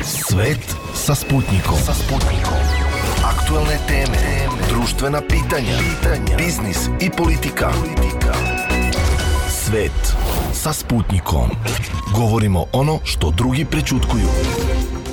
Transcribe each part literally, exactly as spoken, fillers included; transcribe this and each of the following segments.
Svet sa Sputnikom. Sa Sputnikom. Aktuelne teme, društvena pitanja, pitanja, biznis i politika. politika. Svet sa Sputnikom. Govorimo ono što drugi prećutkuju.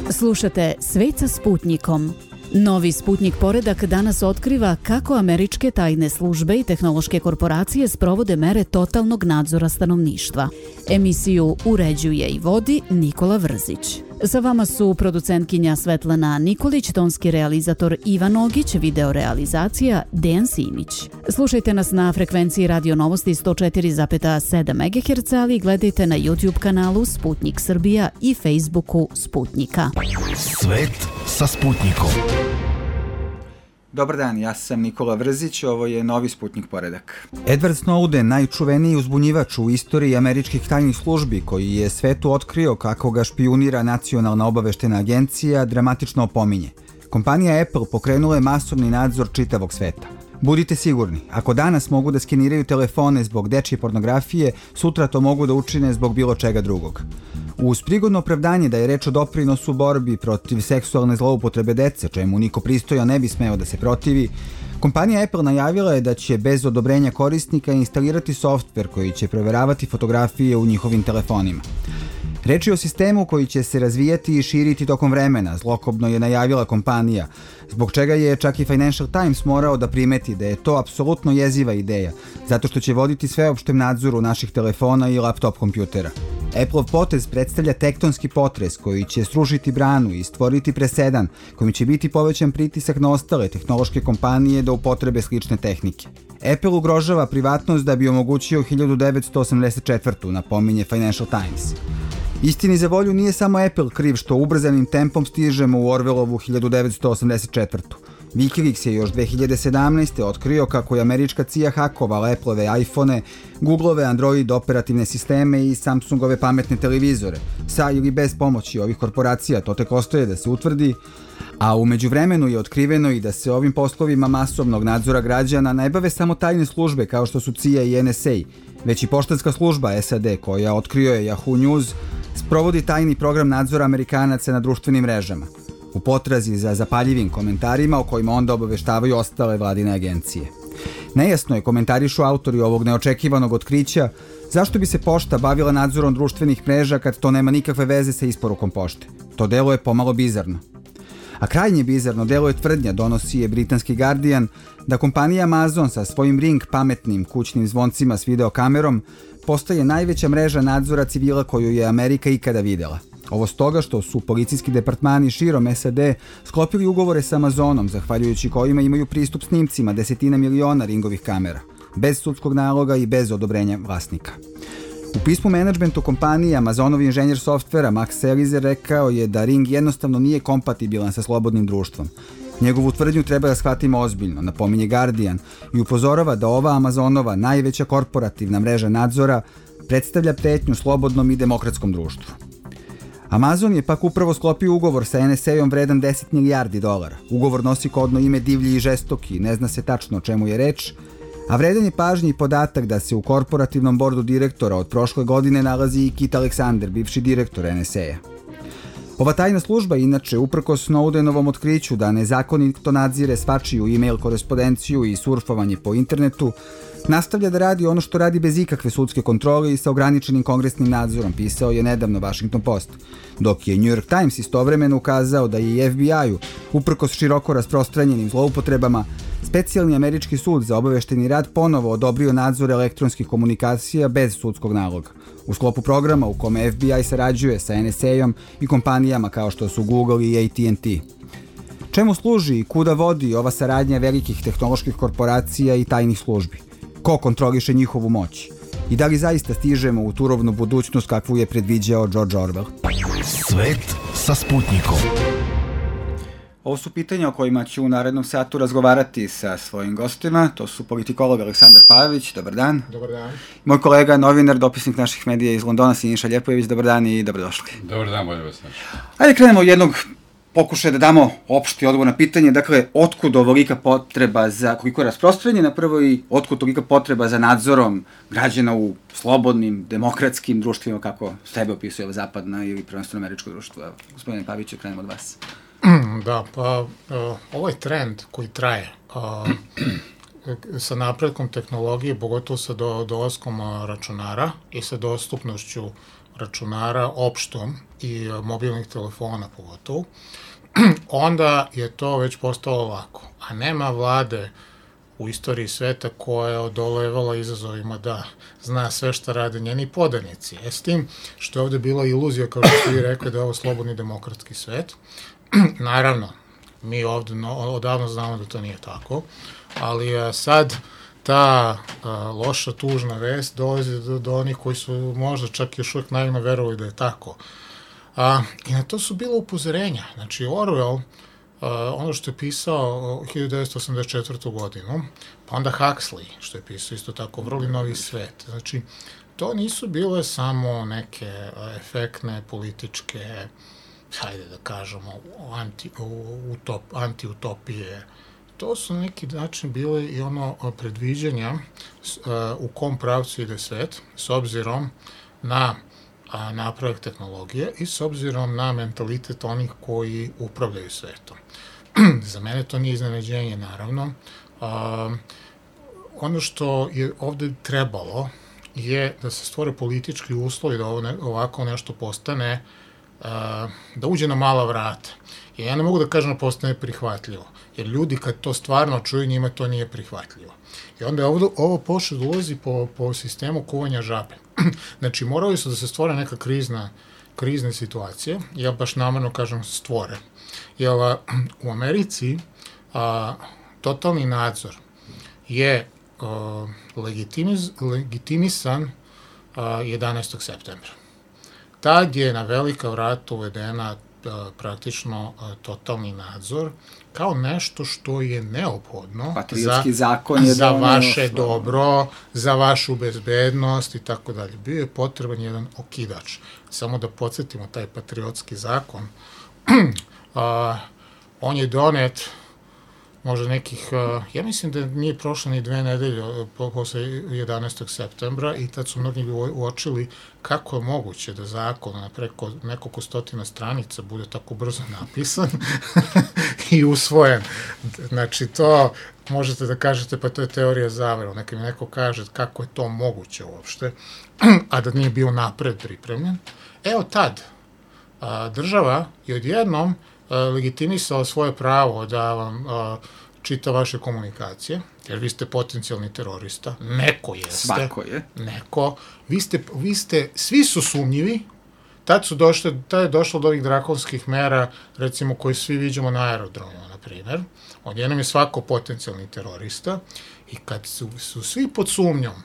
Slušate Svet sa Sputnikom. Novi Sputnik poredak danas otkriva kako američke tajne službe i tehnološke korporacije sprovode mere totalnog nadzora stanovništva. Emisiju uređuje i vodi Nikola Vrzić. Sa vama su producentkinja Svetlana Nikolić, tonski realizator Ivan Ogić, videorealizacija Dejan Simić. Slušajte nas na frekvenciji Radio Novosti sto četiri zarez sedam megaherca, ali gledajte na YouTube kanalu Sputnik Srbija i Facebooku Sputnika. Svet sa Sputnikom. Dobar dan, ja sam Nikola Vrzić, ovo je Novi Sputnik poredak. Edward Snowden, najčuveniji uzbunjivač u istoriji američkih tajnih službi, koji je svetu otkrio kako ga špijunira Nacionalna obaveštena agencija, dramatično opominje. Kompanija Apple pokrenula je masovni nadzor čitavog sveta. Budite sigurni, ako danas mogu da skeniraju telefone zbog dečje pornografije, sutra to mogu da učine zbog bilo čega drugog. Uz prigodno opravdanje da je reč o doprinosu borbi protiv seksualne zloupotrebe dece, čemu niko pristojan ne bi smeo da se protivi, kompanija Apple najavila je da će bez odobrenja korisnika instalirati softver koji će proveravati fotografije u njihovim telefonima. Reč je o sistemu koji će se razvijati i širiti tokom vremena, zlokobno je najavila kompanija, zbog čega je čak i Financial Times morao da primeti da je to apsolutno jeziva ideja, zato što će voditi sveopštem nadzoru naših telefona i laptop kompjutera. Apple-ov potez predstavlja tektonski potres koji će srušiti branu i stvoriti presedan kojim će biti povećan pritisak na ostale tehnološke kompanije da upotrebe slične tehnike. Apple ugrožava privatnost da bi omogućio hiljadu devetsto osamdeset četvrtu. napominje Financial Times. Istini za volju nije samo Apple kriv što ubrzanim tempom stižemo u Orwellovu hiljadu devetsto osamdeset četvrtu. Wikileaks je još dve hiljade sedamnaeste. otkrio kako je američka C I A hakovala Apple-ove iPhone, Google-ove Android operativne sisteme i Samsungove pametne televizore. Sa ili bez pomoći ovih korporacija, to tek ostaje da se utvrdi, a u međuvremenu je otkriveno i da se ovim poslovima masovnog nadzora građana ne bave samo tajne službe kao što su C I A i N S A, već i poštanska služba S A D koja, otkrio je Yahoo News, sprovodi tajni program nadzora Amerikanaca na društvenim mrežama, u potrazi za zapaljivim komentarima o kojima onda obaveštavaju ostale vladine agencije. Nejasno je, komentarišu autori ovog neočekivanog otkrića, zašto bi se pošta bavila nadzorom društvenih mreža kad to nema nikakve veze sa isporukom pošte. To deluje pomalo bizarno. A krajnje bizarno deluje tvrdnja, donosi je britanski Guardian, da kompanija Amazon sa svojim Ring pametnim kućnim zvoncima s videokamerom postaje najveća mreža nadzora civila koju je Amerika ikada videla. Ovo stoga što su policijski departmani širom S A D sklopili ugovore sa Amazonom, zahvaljujući kojima imaju pristup snimcima desetina miliona Ringovih kamera, bez sudskog naloga i bez odobrenja vlasnika. U pismu menadžmentu kompanije Amazonov inženjer softvera Max Selizer rekao je da Ring jednostavno nije kompatibilan sa slobodnim društvom. Njegovu tvrdnju treba da shvatimo ozbiljno, napominje Guardian, i upozorava da ova Amazonova najveća korporativna mreža nadzora predstavlja pretnju slobodnom i demokratskom društvu. Amazon je pak upravo sklopio ugovor sa N S A-om vredan deset milijardi dolara. Ugovor nosi kodno ime Divlji i žestoki, ne zna se tačno o čemu je reč, a vredan je pažnji i podatak da se u korporativnom bordu direktora od prošle godine nalazi i Kit Alexander, bivši direktor N S A-a. Ova tajna služba, inače, uprkos Snowdenovom otkriću da nezakonito nadzire svačiju e-mail korespondenciju i surfovanje po internetu, nastavlja da radi ono što radi bez ikakve sudske kontrole i sa ograničenim kongresnim nadzorom, pisao je nedavno Washington Post, dok je New York Times istovremeno ukazao da je i F B I-u, uprkos široko rasprostranjenim zloupotrebama, specijalni američki sud za obavešteni rad ponovo odobrio nadzor elektronskih komunikacija bez sudskog naloga, u sklopu programa u kome F B I sarađuje sa N S A-om i kompanijama kao što su Google i A T and T. Čemu služi i kuda vodi ova saradnja velikih tehnoloških korporacija i tajnih službi? Ko kontroliše njihovu moć? I da li zaista stižemo u turovnu budućnost kakvu je predviđao George Orwell? Svet sa Sputnikom. Ovo su pitanja o kojima ću u narednom satu razgovarati sa svojim gostima. To su politikolog Aleksandar Pajović, dobar dan. Dobar dan. Moj kolega, novinar, dopisnik naših medija iz Londona, Siniša Ljepojević, dobar dan i dobrodošli. Dobar dan, bolje vas naći. Ajde krenemo od jednog pokušaj da damo opšti odgovor na pitanje, dakle, otkud ovolika potreba za, koliko je rasprostranjena, na prvo i otkud tolika potreba za nadzorom građana u slobodnim, demokratskim društvima, kako sebe opisuje ova zapadna ili prvenstveno američko društvo. Evo, gospodine Paviću, krenemo od vas. Da, pa uh, ovaj trend koji traje uh, sa napretkom tehnologije, pogotovo sa do, dolaskom uh, računara i sa dostupnošću računara opštom i uh, mobilnih telefona pogotovo, onda je to već postalo lako. A nema vlade u istoriji sveta koja je odolevala izazovima da zna sve šta rade njeni podanici. E s tim što je ovde bila iluzija, kao što ste vi rekli, da je ovo slobodni demokratski svet. Naravno, mi ovde no, odavno znamo da to nije tako, ali a, sad ta a, loša, tužna vest dolazi do, do onih koji su možda čak još uvijek naivno verovali da je tako. A, I na to su bila upozorenja. Znači, Orwell, a, ono što je pisao hiljadu devetsto osamdeset četvrtu. godinu, pa onda Huxley, što je pisao isto tako, Vrli novi svet. Znači, to nisu bile samo neke a, efektne političke, hajde da kažemo, anti, utop, anti-utopije. To su na neki način bile i ono predviđanja u kom pravcu ide svet, s obzirom na napredak tehnologije i s obzirom na mentalitet onih koji upravljaju svetom. Za mene to nije iznenađenje, naravno. A, ono što je ovde trebalo je da se stvore politički uslovi da ovo ne, ovako nešto postane, da uđe na mala vrata. I ja ne mogu da kažem da postane prihvatljivo, jer ljudi kad to stvarno čuju, njima to nije prihvatljivo. I onda je ovo, ovo pošlo da ulazi po, po sistemu kuvanja žabe. Znači, morali su da se stvore neka krizna, krizne situacije, ja baš namerno kažem stvore. Jer u Americi a, totalni nadzor je a, legitimiz, legitimisan a, jedanaestog septembra. Tad je na velika vrata uvedena a, praktično a, totalni nadzor kao nešto što je neophodno za, zakon je za vaše osnovu. Dobro, za vašu bezbednost i tako dalje. Bio je potreban jedan okidač. Samo da podsjetimo, taj patriotski zakon, a, on je donet možda nekih, ja mislim da nije prošlo ni dve nedelje posle jedanaestog septembra i tad su mnogi uočili kako je moguće da zakon na preko nekoliko stotina stranica bude tako brzo napisan i usvojen. Znači to možete da kažete, pa to je teorija zavere. Neka mi neko kaže kako je to moguće uopšte, a da nije bio napred pripremljen. Evo tad a, država je odjednom legitimisala svoje pravo da vam a, čita vaše komunikacije, jer vi ste potencijalni terorista, neko jeste. Svako je. Neko. Vi ste, vi ste, svi su sumnjivi, tad su došle, tad je došlo do ovih drakonskih mera, recimo, koje svi viđamo na aerodromima, na primjer. Odjednom je svako potencijalni terorista i kad su, su svi pod sumnjom,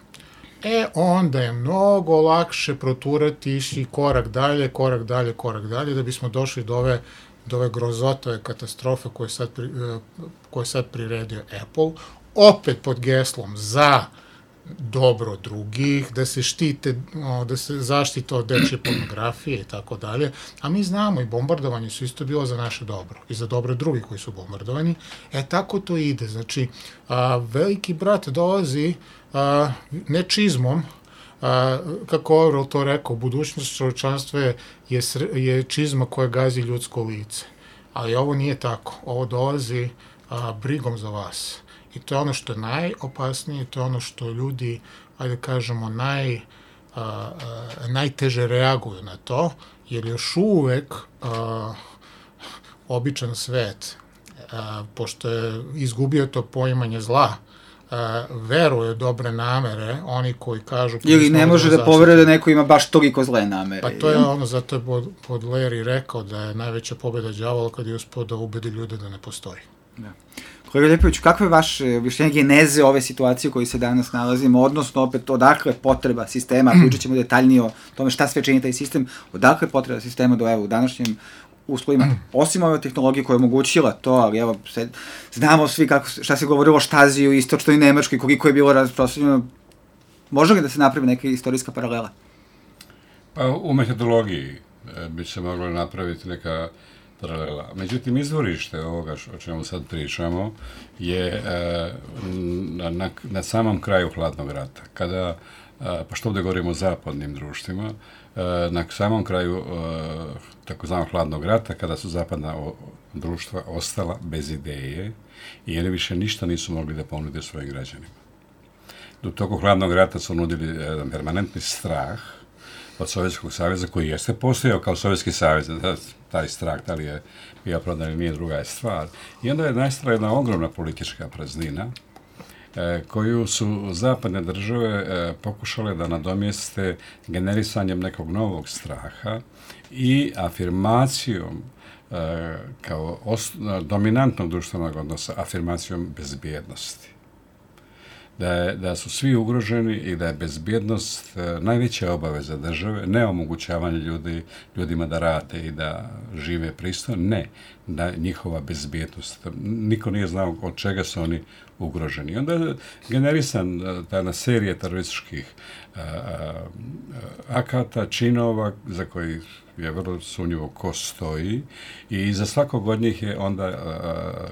e, onda je mnogo lakše proturati, ići korak dalje, korak dalje, korak dalje, da bismo došli do ove do ove grozotove katastrofe koje sad, pri, koje sad priredio Apple, opet pod geslom za dobro drugih, da se štite, da se zaštite od dečje pornografije i tako dalje, a mi znamo i bombardovanje su isto bilo za naše dobro i za dobro drugih koji su bombardovani. E, tako to ide. Znači, a, veliki brat dolazi a, ne čizmom, a, kako Orwell to rekao, budućnost čovječanstva je, je, je čizma koja gazi ljudsko lice. Ali ovo nije tako. Ovo dolazi a, brigom za vas. I to je ono što je najopasnije, to je ono što ljudi, ajde kažemo, naj, a, a, najteže reaguju na to, jer još uvek a, običan svet, a, pošto je izgubio to poimanje zla, a, veruje dobre namere, oni koji kažu... Ili ne može da poveruje da neko ima baš toliko zle namere. Pa to je ono, zato je pod, pod Larry rekao da je najveća pobjeda đavola kad je uspio da ubedi ljude da ne postoji. Da. Kolega Ljepović, kakvo je vaše objašnjenje geneze ove situacije u kojoj se danas nalazimo, odnosno opet odakle je potreba sistema, pričat ćemo detaljnije o tome šta sve čini taj sistem, odakle je potreba sistema do evo u današnjim uslovima, osim ove tehnologije koja je omogućila to, ali evo, se, znamo svi kako, šta se govorilo o Štaziju, istočnoj Nemačkoj, koliko je bilo rasprostranjeno, može li da se napravi neka istorijska paralela? Pa u metodologiji bi se moglo napraviti neka paralela. Međutim, izvorište ovoga o čemu sad pričamo je e, na, na, na samom kraju hladnog rata. Kada, e, pa što ovdje govorimo o zapadnim društvima, e, na samom kraju e, takozvanog hladnog rata, kada su zapadna o, društva ostala bez ideje i oni više ništa nisu mogli da ponude svojim građanima. U toku hladnog rata su nudili jedan permanentni strah od Sovjetskog saveza, koji jeste postojao kao Sovjetski savez, taj strah, da li je bio prodan ili nije, druga je stvar. I onda je nastala jedna ogromna politička praznina, e, koju su zapadne države e, pokušale da nadomjeste generisanjem nekog novog straha i afirmacijom e, kao os, dominantnog društvenog odnosa, afirmacijom bezbjednosti. Da, je, da su svi ugroženi i da je bezbjednost e, najveća obaveza države, ne omogućavanje ljudi, ljudima da rade i da žive pristojno, ne, da njihova bezbjednost. Niko nije znao od čega su oni ugroženi. I onda je generisan ta na serije terorističkih a, a, akata, činova za koji je vrlo sumnjivo ko stoji i za svakog od njih je onda a,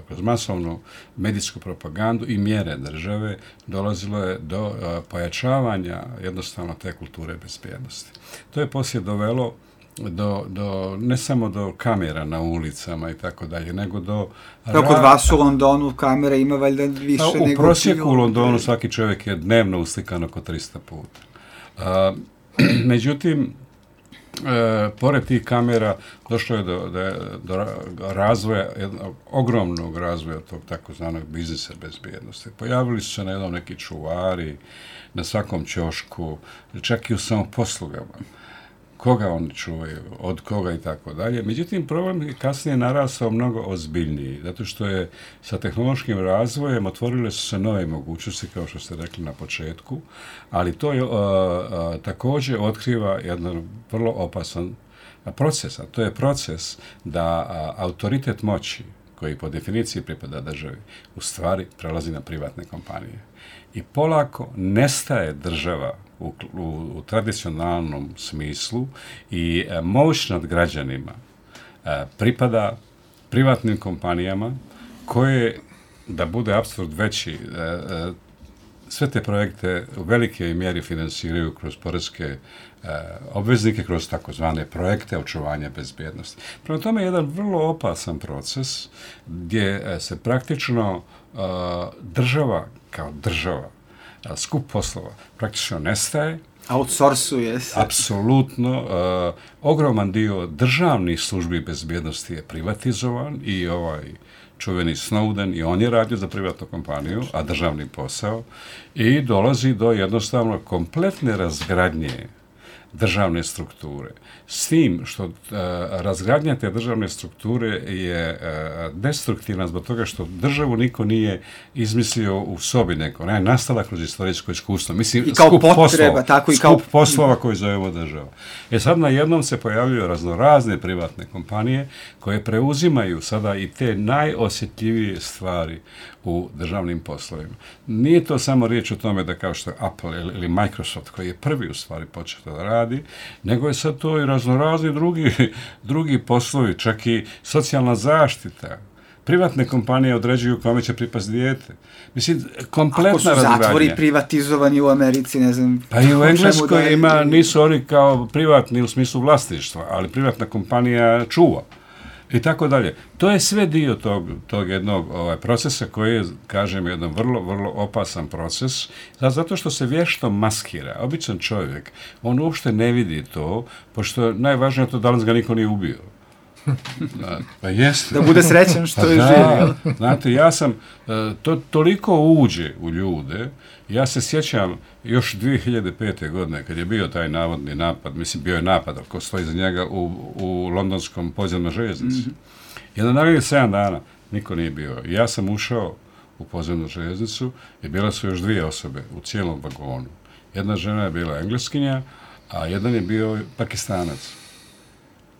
kroz masovnu medijsku propagandu i mjere države dolazilo je do a, pojačavanja jednostavno te kulture bezbjednosti. To je poslije dovelo do, do, ne samo do kamera na ulicama i tako dalje, nego do... Kao kod vas u Londonu kamera ima valjda više a, u nego... U prosjeku u Londonu svaki čovjek je dnevno uslikan oko tristo puta. A, međutim, e, pored tih kamera došlo je do, do, do razvoja, jednog ogromnog razvoja tog takozvanog biznisa bezbjednosti. Pojavili su se na jednom neki čuvari, na svakom ćošku, čak i u samoposlugama. Koga oni čuvaju, od koga i tako dalje. Međutim, problem je kasnije narastao mnogo ozbiljniji, zato što je sa tehnološkim razvojem otvorile su se nove mogućnosti, kao što ste rekli na početku, ali to je, a, a, također otkriva jedan vrlo opasan proces, a to je proces da a, autoritet moći, koji po definiciji pripada državi, u stvari prelazi na privatne kompanije. I polako nestaje država u, u, u tradicionalnom smislu i e, moć nad građanima e, pripada privatnim kompanijama koje, da bude apsurd veći, e, e, sve te projekte u velikoj mjeri finansiraju kroz poreske e, obveznike, kroz takozvane projekte očuvanja bezbjednosti. Prema tome je jedan vrlo opasan proces gdje e, se praktično e, država kao država, a, skup poslova praktično nestaje. Outsourcuje se. Apsolutno. Uh, ogroman dio državnih službi bezbjednosti je privatizovan i ovaj čuveni Snowden, i on je radio za privatnu kompaniju, a državni posao, i dolazi do jednostavno kompletne razgradnje državne strukture. S tim što uh, razgradnja te državne strukture je uh, destruktivna zbog toga što državu niko nije izmislio u sobi neko. Ona je nastala kroz istorijsko iskustvo. Mislim, I kao skup potreba, poslova, tako i kao... skup poslova koji zovemo država. E sad na jednom se pojavljuju raznorazne privatne kompanije koje preuzimaju sada i te najosjetljivije stvari u državnim poslovima. Nije to samo riječ o tome da kao što je Apple ili Microsoft, koji je prvi u stvari počeo da radi, nego je sad to i raznorazni drugi, drugi poslovi, čak i socijalna zaštita. Privatne kompanije određuju kome će pripasti dijete. Mislim, kompletna razgradnja. Ako su zatvori privatizovani u Americi, ne znam... Pa i u Engleskoj da ima, nisu oni kao privatni u smislu vlasništva, ali privatna kompanija čuva. I tako dalje. To je sve dio tog, tog jednog ovaj, procesa koji je, kažem, jedan vrlo, vrlo opasan proces, zato što se vješto maskira. Običan čovjek, on uopšte ne vidi to, pošto najvažnije je to da li ga niko nije ubio. Da, pa jeste. Da bude srećan što pa je da, živ. Znate, ja sam, to toliko uđe u ljude, ja se sjećam još dvije hiljade pete. godine, kad je bio taj navodni napad, mislim, bio je napad, ko stoji za njega u, u londonskom podzemnoj željeznici. Mm-hmm. Jedan narednih sedam dana niko nije bio. Ja sam ušao u podzemnu željeznicu i bile su još dvije osobe u cijelom vagonu. Jedna žena je bila Engleskinja, a jedan je bio Pakistanac.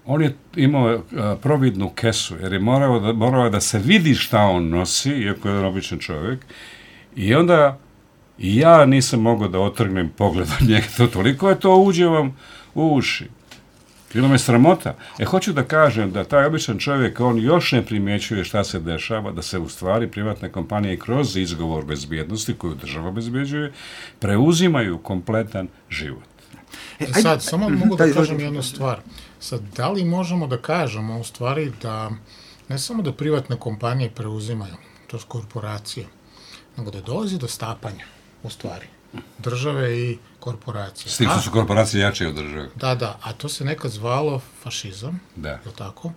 On je imao uh, providnu kesu, jer je morao da, morao da se vidi šta on nosi, iako je jedan običan čovjek. I onda i ja nisam mogao da otrgnem pogled od njega. To toliko je to uđe vam u uši. Bilo me sramota. E, hoću da kažem da taj običan čovjek, on još ne primjećuje šta se dešava, da se u stvari privatne kompanije kroz izgovor bezbjednosti koju država bezbjeđuje, preuzimaju kompletan život. E, sad, samo mogu da kažem jednu stvar. Sad, da li možemo da kažemo u stvari da ne samo da privatne kompanije preuzimaju, to je korporacije, nego da dolazi do stapanja, u stvari, države i korporacije. S tim što su korporacije jače od države. Da, da, a to se nekad zvalo fašizam, da. Je li tako?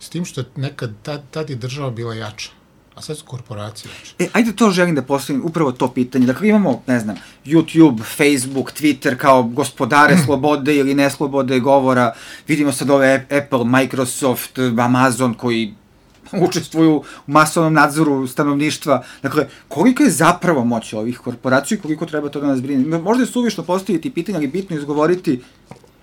S tim što je nekad, tad, tad je država bila jača, a sad su korporacije jače. E, ajde to želim da postavim, upravo to pitanje. Dakle, imamo, ne znam, YouTube, Facebook, Twitter kao gospodare slobode ili neslobode govora. Vidimo sad ove Apple, Microsoft, Amazon koji učestvuju u masovnom nadzoru stanovništva. Dakle, koliko je zapravo moć ovih korporacija i koliko treba to da nas brine? Možda je suvišno postaviti pitanje, ali bitno izgovoriti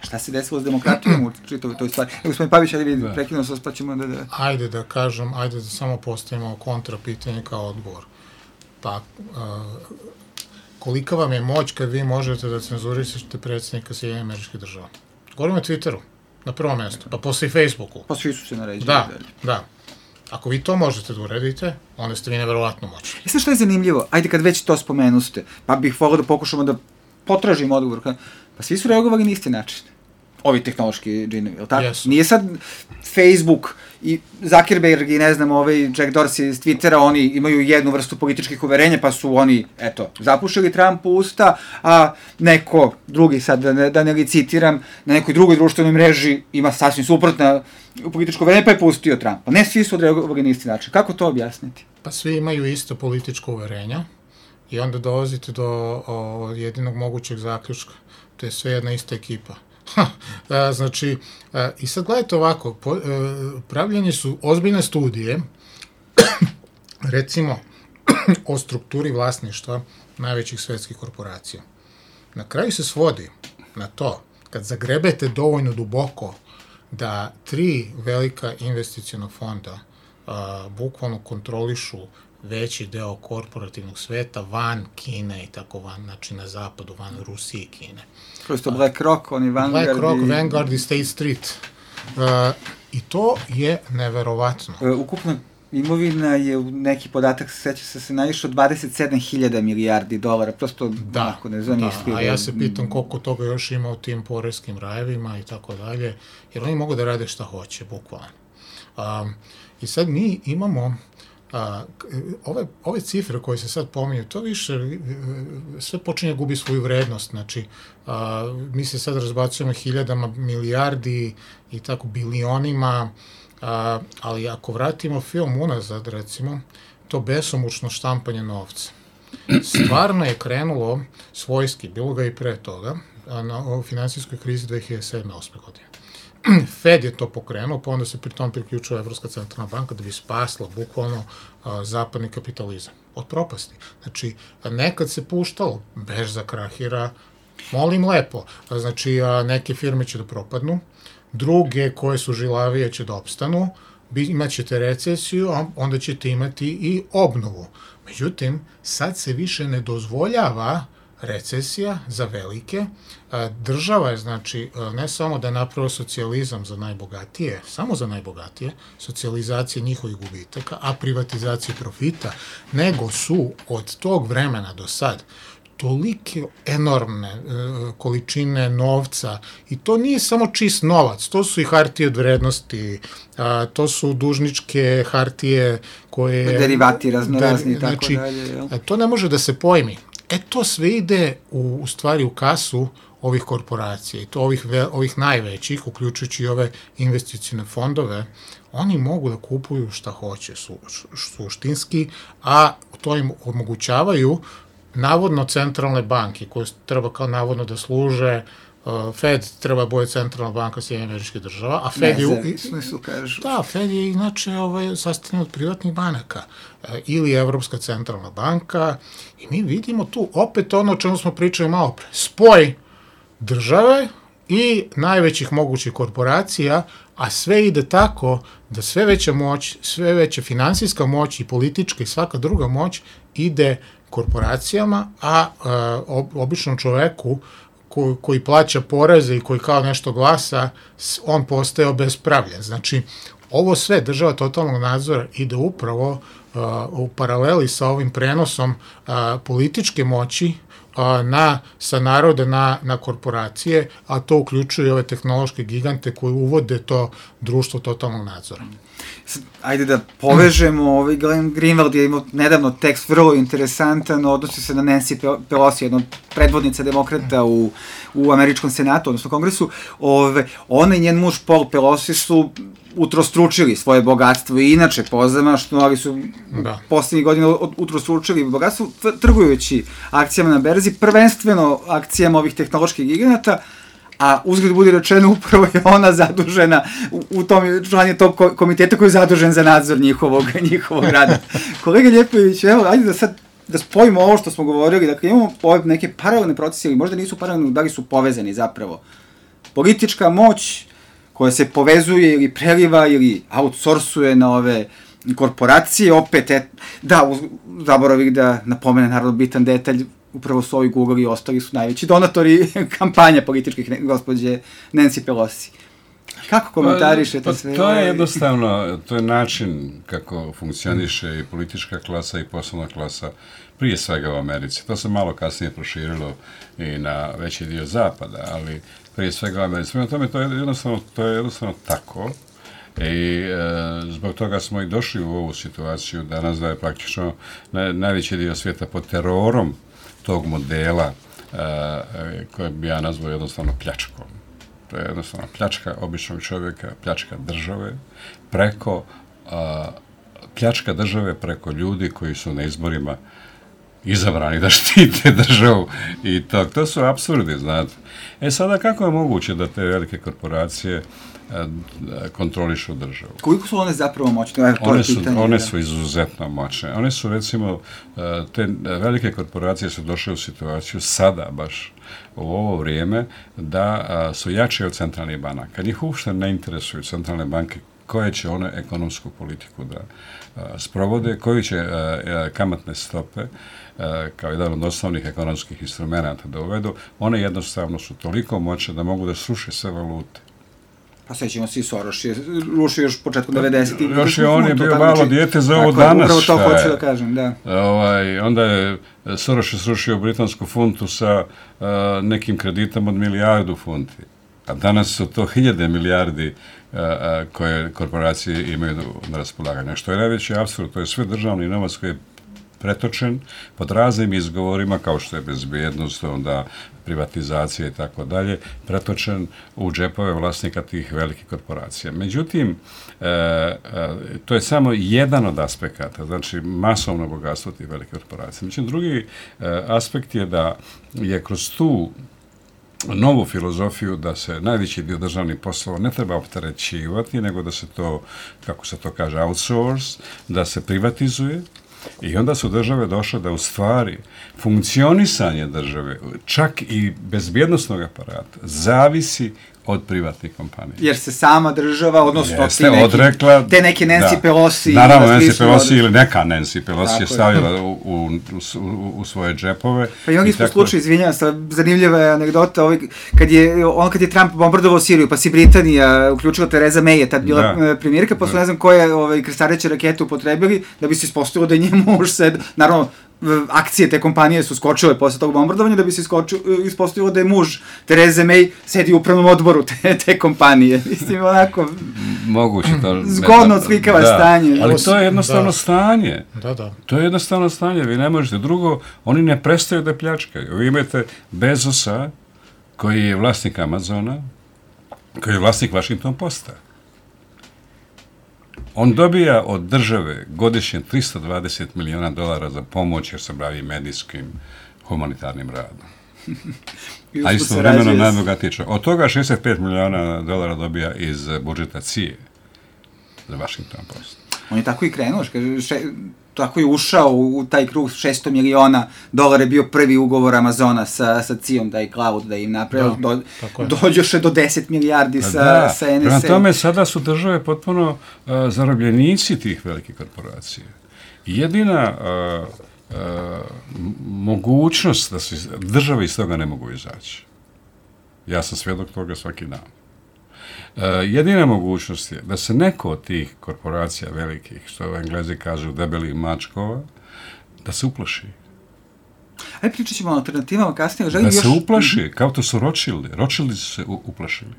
šta se desilo s demokratijom u čitavoj toj stvari. E, gospodin Pavić, ajde vidi, prekinuo se, pa ćemo da... da... Ajde da kažem, ajde da samo postavimo kontra pitanje kao odgovor. Pa, uh, kolika vam je moć kad vi možete da cenzurišete predsjednika Sjedinjenih Američkih Država? Govorimo o Twitteru, na prvom mjestu, pa posle i Facebooku. Pa svi su se naređeni. Da, da. Ako vi to možete da uredite, onda ste vi neverovatno moćni. I sad što je zanimljivo, ajde kad već to spomenuste, pa bih volio da pokušamo da potražimo odgovor. Pa svi su reagovali na isti način. Ovi tehnološki džinovi, je li tako? Yes. Nije sad Facebook i Zuckerberg i ne znam, ovaj Jack Dorsey iz Twittera, oni imaju jednu vrstu političkih uverenja, pa su oni, eto, zapušili Trumpu usta, a neko drugi, sad da ne, da ne li citiram, na nekoj drugoj društvenoj mreži ima sasvim suprotna političko uverenje, pa je pustio Trumpa. Ne svi su odreagovali na isti način. Kako to objasniti? Pa svi imaju isto političko uverenja i onda dolazite do o, jedinog mogućeg zaključka. To je sve jedna ista ekipa. A, znači, a, i sad gledajte ovako, po, a, pravljene su ozbiljne studije, recimo, o strukturi vlasništva najvećih svetskih korporacija. Na kraju se svodi na to, kad zagrebete dovoljno duboko, da tri velika investicijona fonda a, bukvalno kontrolišu veći deo korporativnog sveta van Kine i tako van, znači na zapadu, van Rusije i Kine. Prosto BlackRock, oni Vanguard Black Rock, i... Vanguard i State Street. Uh, I to je neverovatno. Uh, ukupna imovina je, neki podatak, seća se se naišao dvadeset sedam hiljada milijardi dolara, prosto da, onako nezamislivo. Da, a ja se pitam koliko toga još ima u tim poreskim rajevima i tako dalje, jer oni mogu da rade šta hoće, bukvalno. Um, I sad mi imamo A, ove, ove cifre koje se sad pominju, to više sve počinje gubi svoju vrednost, znači a, mi se sad razbacujemo hiljadama milijardi i tako bilionima, a, ali ako vratimo film unazad, recimo, to besomučno štampanje novca. Stvarno je krenulo svojski, bilo ga i pre toga, na finansijskoj krizi dve hiljade sedme osme godine. Fed je to pokrenuo, pa onda se pri tom priključila Evropska centralna banka da bi spasla bukvalno a, zapadni kapitalizam od propasti. Znači, nekad se puštalo, berza krahira, molim lepo, a, znači a, neke firme će da propadnu, druge koje su žilavije će da opstanu, imat ćete recesiju, a onda ćete imati i obnovu. Međutim, sad se više ne dozvoljava recesija za velike. Država je, znači, ne samo da je napravila socijalizam za najbogatije, samo za najbogatije, socijalizacija njihovih gubitaka, a privatizacija profita, nego su od tog vremena do sad tolike enormne e, količine novca, i to nije samo čist novac, to su i hartije od vrednosti, a, to su dužničke hartije koje... Derivati raznorazni i tako znači, dalje. Jel? To ne može da se pojmi. E, to sve ide u, u stvari u kasu ovih korporacija, i to ovih, ovih najvećih, uključujući i ove investicijne fondove. Oni mogu da kupuju šta hoće su, suštinski, a to im omogućavaju navodno centralne banke, koje treba kao navodno da služe, uh, Fed treba da bude centralna banka Sjedinjenih Američkih Država, a Fed je... Ne, su, kažu. Da, Fed je inače ovaj, sastavljen od privatnih banaka, uh, ili Evropska centralna banka, i mi vidimo tu opet ono o čemu smo pričali malo pre, spoj države i najvećih mogućih korporacija, a sve ide tako da sve veća moć, sve veća finansijska moć i politička i svaka druga moć ide korporacijama, a uh, običnom čoveku ko, koji plaća poreze i koji kao nešto glasa, on postaje obespravljen. Znači, ovo sve država totalnog nadzora ide upravo uh, u paraleli sa ovim prenosom uh, političke moći na, sa naroda na, na korporacije, a to uključuje ove tehnološke gigante koji uvode to društvo totalnog nadzora. Ajde da povežemo, ovaj Glenn Greenwald je imao nedavno tekst vrlo interesantan, odnosi se na Nancy Pelosi, jedna od predvodnica demokrata u, u američkom senatu, odnosno kongresu. Ove, ona i njen muž Paul Pelosi su utrostručili svoje bogatstvo i inače pozamašno, ali su da. Poslednjih godina utrostručili bogatstvo trgujući akcijama na berzi, prvenstveno akcijama ovih tehnoloških giganata, a uzgled budi rečeno upravo je ona zadužena u, u tom članje tog komiteta koji je zadužen za nadzor njihovog, njihovog rada. Kolega Ljepojević, evo, ajde da sad da spojimo ovo što smo govorili, dakle imamo ove neke paralelne procese, ili možda nisu paralelne, da li su povezani zapravo. Politička moć koja se povezuje ili preliva ili outsourcuje na ove korporacije, opet, et, da, zaboravih da napomene naravno bitan detalj, upravo su ovi Google i ostali su najveći donatori kampanja političkih gospođe Nancy Pelosi. Kako komentarišete pa, pa, sve? To je jednostavno, to je način kako funkcioniše i politička klasa i poslovna klasa, prije svega u Americi. To se malo kasnije proširilo i na veći dio zapada, ali prije svega u Americi. Prema tome, to je jednostavno, to je jednostavno tako. I e, zbog toga smo i došli u ovu situaciju danas da je praktično na, najveći dio svijeta pod terorom tog modela e, koje bi ja nazvao jednostavno pljačkom. To je jednostavno pljačka običnog čovjeka, pljačka države, preko a, pljačka države preko ljudi koji su na izborima izabrani da štite državu i to. To su apsurdi, znate. E sada, kako je moguće da te velike korporacije a, kontrolišu državu? Koliko su one zapravo moćne? Evo, to one, je su, pitanje, one da. su izuzetno moćne. One su, recimo, te velike korporacije su došle u situaciju sada baš u ovo vrijeme da a, su jače od centralnih banaka. Njih uopšte ne interesuju centralne banke koje će one ekonomsku politiku da a, sprovode, koji će a, a, kamatne stope a, kao jedan od osnovnih ekonomskih instrumenta da uvedu. One jednostavno su toliko moćne da mogu da sruše sve valute. Pa sećamo se i Soros je rušio još početkom devedesetih. Još je on je bio malo dijete za ovo danas. Upravo to hoću da kažem, da. Ovaj, onda je Soros je srušio britansku funtu sa uh, nekim kreditom od milijardu funti. A danas su to hiljade milijardi uh, uh, koje korporacije imaju na raspolaganju. Što je najveći apsurd, to je sve državni novac koji je pretočen pod raznim izgovorima, kao što je bezbjednost, onda privatizacija i tako dalje, pretočen u džepove vlasnika tih velikih korporacija. Međutim, e, e, to je samo jedan od aspekata, znači masovno bogatstvo tih velikih korporacija. Međutim, drugi e, aspekt je da je kroz tu novu filozofiju da se najveći dio državnih poslova ne treba opterećivati, nego da se to, kako se to kaže, outsource, da se privatizuje. I onda su države došle da u stvari funkcionisanje države, čak i bezbjednostnog aparata, zavisi od privatnih kompanija. Jer se sama država, odnosno Jeste, ti neki, odrekla, te neke Nancy da. Pelosi... Naravno, Nancy Pelosi ili neka Nancy Pelosi tako je stavila u, u, u, u svoje džepove. Pa i mnogi smo tako... slučaj, izvinjam se, zanimljiva je anegdota, ovaj, kad je, on kad je Trump bombardovao Siriju, pa si Britanija uključila Theresa May, je tad bila da. premijerka, pa su da. ne znam koje ovaj, krstareće rakete upotrebili, da bi se ispostavilo da je njemu muž sed, naravno, akcije te kompanije su skočile posle tog bombardovanja da bi se ispostavilo da je muž Therese May sedi u upravnom odboru te, te kompanije. Mislim, onako... Moguće to... Zgodno odslikava da. stanje. Ali to je jednostavno da. stanje. Da, da. To je jednostavno stanje. Vi ne možete. Drugo, oni ne prestaju da pljačkaju. Vi imate Bezosa, koji je vlasnik Amazona, koji je vlasnik Washington Posta. On dobija od države godišnje tristo dvadeset miliona dolara za pomoć jer se bavi medijskim humanitarnim radom. A istovremeno najbogatiji čovjek. Od toga šezdeset pet miliona dolara dobija iz budžeta C I E za Washington Post. On je tako i krenuo, kaže, še, tako je ušao u taj krug, šesto miliona dolara je bio prvi ugovor Amazona sa, sa C I E-om, taj cloud da im napravio, da, do, dođoše do deset milijardi sa, da, sa N S A. Prema tome, sada su države potpuno uh, zarobljenici tih velikih korporacija. Jedina uh, uh, mogućnost da se države iz toga ne mogu izaći Ja sam svjedok toga svaki dan. Uh, jedina mogućnost je da se neko od tih korporacija velikih, što Englezi kažu debeli mačkova, da se uplaši. Ajde, pričat ćemo o alternativama kasnije. Želim da još... se uplaši, kao to su Rothschildi. Rothschildi su se u, uplašili.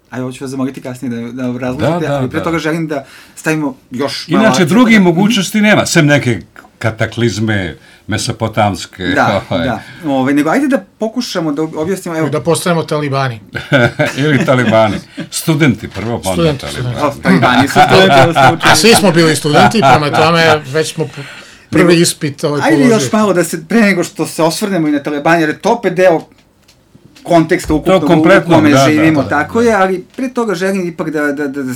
Ajde, ovo ću vas zamoliti kasnije da, da razložite, da, ali pre da. toga želim da stavimo još malo... Inače, drugih mogućnosti nema, sem neke kataklizme mesopotamske. Da, ovaj. da. Ove, nego ajde da pokušamo da objasnimo... Evo... Da postanemo talibani. Ili talibani. Studenti prvo, pa onda talibani. O, talibani su studenti. A svi smo bili studenti, prema tome već smo prvi nego, ispit ovaj ajde položili. još malo da se, pre nego što se osvrnemo i na talibani, jer je to opet deo konteksta ukupnog u kome da, živimo, da, da, tako da. je, ali pre toga želim ipak da, da, da, da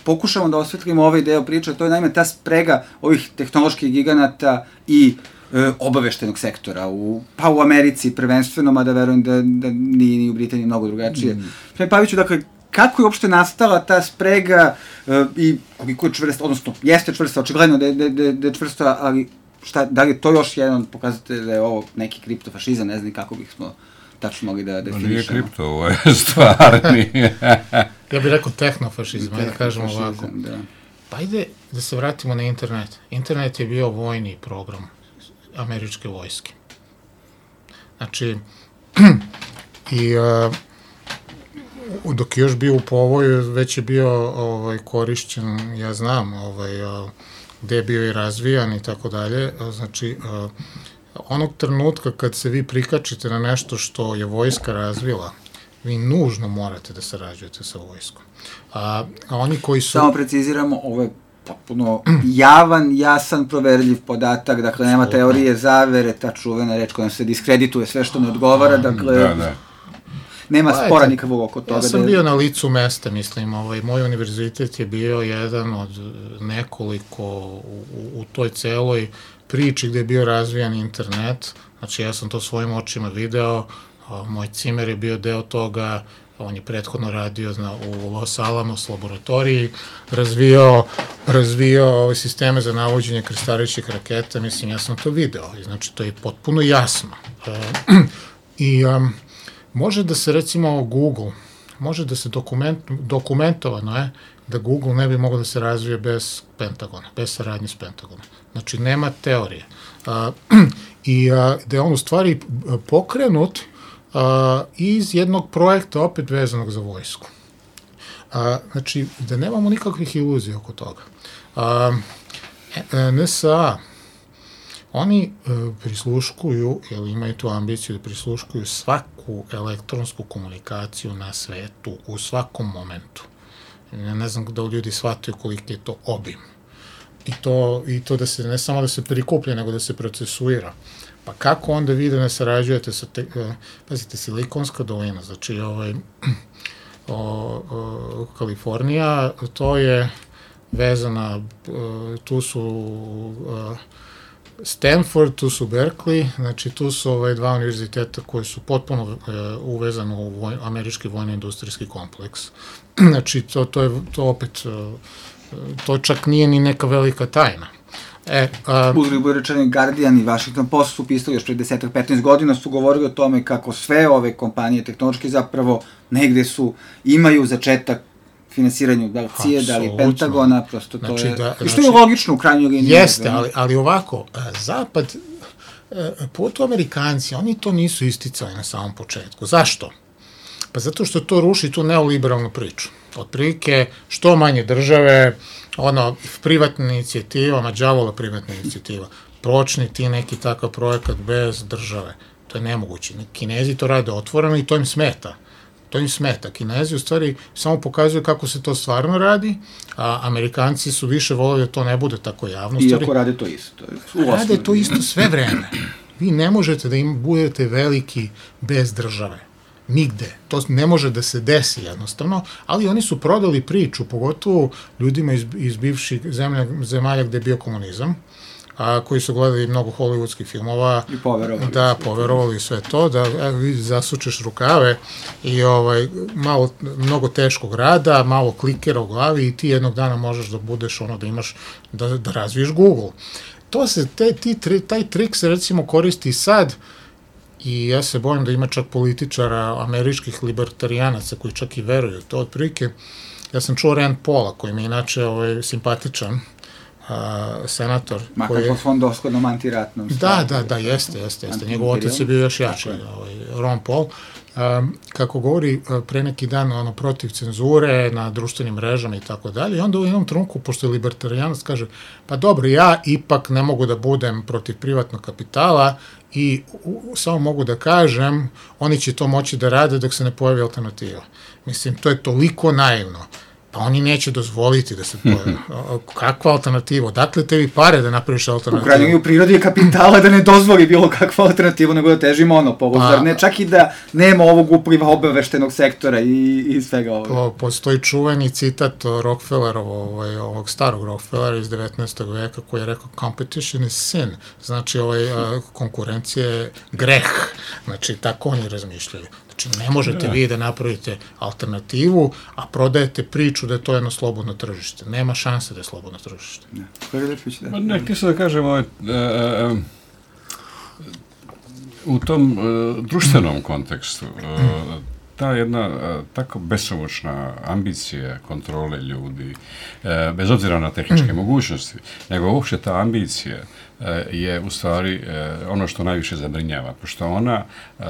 pokušamo da osvetlimo ovaj deo priče, to je naime ta sprega ovih tehnoloških giganata i e, obaveštenog sektora, u, pa u Americi prvenstveno, mada verujem da, da nije ni u Britaniji mnogo drugačije. Mm. Sve Paviću, dakle, kako je uopšte nastala ta sprega e, i koliko je čvrsta, odnosno jeste čvrsta, očigledno da je, da, da, da je čvrsta, ali šta, da li je to još jedan pokazatelj da je ovo neki kriptofašizam, ne znam kako bih smo tačno mogli da definišemo. Nije kripto, ovo je stvarni. Ja bih rekao tehnofašizam, ajde da kažemo ovako. Da. Pa ajde da se vratimo na internet. Internet je bio vojni program američke vojske. Znači, i uh, dok je još bio u povoju, već je bio ovaj, korišćen, ja znam, ovaj, uh, gde je bio i razvijan i tako dalje. Znači, uh, onog trenutka kad se vi prikačite na nešto što je vojska razvila, vi nužno morate da sarađujete sa vojskom. A, a oni koji su... Samo preciziramo, ovo je potpuno javan, jasan, proverljiv podatak, dakle, nema teorije zavere, ta čuvena reč kojom se diskredituje sve što ne odgovara, dakle, da, da. nema spora nikakvog oko toga. Ja sam da je... bio na licu mesta, mislim, ovaj, moj univerzitet je bio jedan od nekoliko u, u, u toj celoj priči gde je bio razvijan internet, znači ja sam to svojim očima video, moj cimer je bio deo toga, on je prethodno radio na, u Los Alamos laboratoriji, razvijao, razvijao ove sisteme za navođenje krstarećih raketa, mislim, ja sam to video, znači to je potpuno jasno. E, I um, može da se, recimo, Google, može da se dokument, dokumentovano je da Google ne bi mogao da se razvije bez Pentagona, bez saradnje s Pentagonom. Znači, nema teorije. A, I a, da je on u stvari pokrenut a, iz jednog projekta opet vezanog za vojsku. A, znači, da nemamo nikakvih iluzija oko toga. A, N S A, oni a, prisluškuju, ili imaju tu ambiciju da prisluškuju svaku elektronsku komunikaciju na svetu u svakom momentu. Ja ne znam da ljudi shvataju koliki je to obim. I to, I to da se, ne samo da se prikuplja, nego da se procesuira. Pa kako onda vi da ne sarađujete sa, te, pazite, Silikonska dolina, znači ovaj, o, o, Kalifornija, to je vezana, tu su Stanford, tu su Berkeley, znači tu su ovaj, dva univerziteta koji su potpuno uh, uvezani u voj, američki vojno-industrijski kompleks. Znači, to, to je to opet, uh, to čak nije ni neka velika tajna. E, uh, Uzgled bude rečeni Guardian i Washington Post su pisali još pre deset petnaest godina, su govorili o tome kako sve ove kompanije tehnološke zapravo negde su, imaju začetak finansiranju da li C I A, da li Pentagona, prosto to znači, je, da, i što je znači, logično u krajnjoj liniji. Jeste, ali, ali ovako, Zapad, pogotovo Amerikanci, oni to nisu isticali na samom početku. Zašto? Pa zato što to ruši tu neoliberalnu priču. Otprilike, što manje države, ono, privatna inicijativa, ma đavola privatna inicijativa, počni ti neki takav projekat bez države. To je nemoguće. Kinezi to rade otvoreno i to im smeta. To im smeta. Kinezi u stvari samo pokazuju kako se to stvarno radi, a Amerikanci su više voleli da to ne bude tako javno. Iako rade to isto. Rade to isto sve vreme. Vi ne možete da im budete veliki bez države. Nigde. To ne može da se desi jednostavno, ali oni su prodali priču, pogotovo ljudima iz, iz bivših zemlja, zemalja gde je bio komunizam, a koji su gledali mnogo hollywoodskih filmova, i poverovali, da, poverovali sve to, da e, vi zasučeš rukave i ovaj, malo, mnogo teškog rada, malo klikera u glavi i ti jednog dana možeš da budeš ono, da imaš, da, da razviješ Google. To se, te, ti, taj trik se recimo koristi sad i ja se bojim da ima čak političara, američkih libertarijanaca koji čak i veruju to otprilike. Ja sam čuo Rand Paula, koji mi je inače ovaj, simpatičan, a, senator. Makar po svom doshodnom antiratnom. Da, da, da, jeste, jeste, jeste. Njegov otac je bio još jači, ovaj, Ron Paul. Um, kako govori pre neki dan ono, protiv cenzure na društvenim mrežama i tako dalje, i onda u jednom trenutku, pošto je libertarijanac, kaže, pa dobro, ja ipak ne mogu da budem protiv privatnog kapitala i u, samo mogu da kažem, oni će to moći da rade dok se ne pojavi alternativa. Mislim, to je toliko naivno. Pa oni neće dozvoliti da se pojavi. Kakva alternativa? Odakle tebi pare da napraviš alternativu? U krajnjem u prirodi je kapitala da ne dozvoli bilo kakva alternativa, nego da teži monopolu. Pa, zar ne? Čak i da nema ovog upliva obaveštenog sektora i, i svega ovoga. Po, postoji čuveni citat Rockefellerovog, ovaj, ovog starog Rockefellera iz devetnaestog veka, koji je rekao competition is sin. Znači, ovaj, a, konkurencija je greh. Znači, tako oni razmišljaju. Znači, ne možete vi da napravite alternativu, a prodajete priču da je to jedno slobodno tržište. Nema šanse da je slobodno tržište. Ne, da. Ma ne, htio sam da kažem, ovaj, e, e, u tom e, društvenom kontekstu, e, ta jedna e, tako besomučna ambicija kontrole ljudi, e, bez obzira na tehničke mogućnosti, nego uopšte ta ambicija je u stvari ono što najviše zabrinjava, pošto ona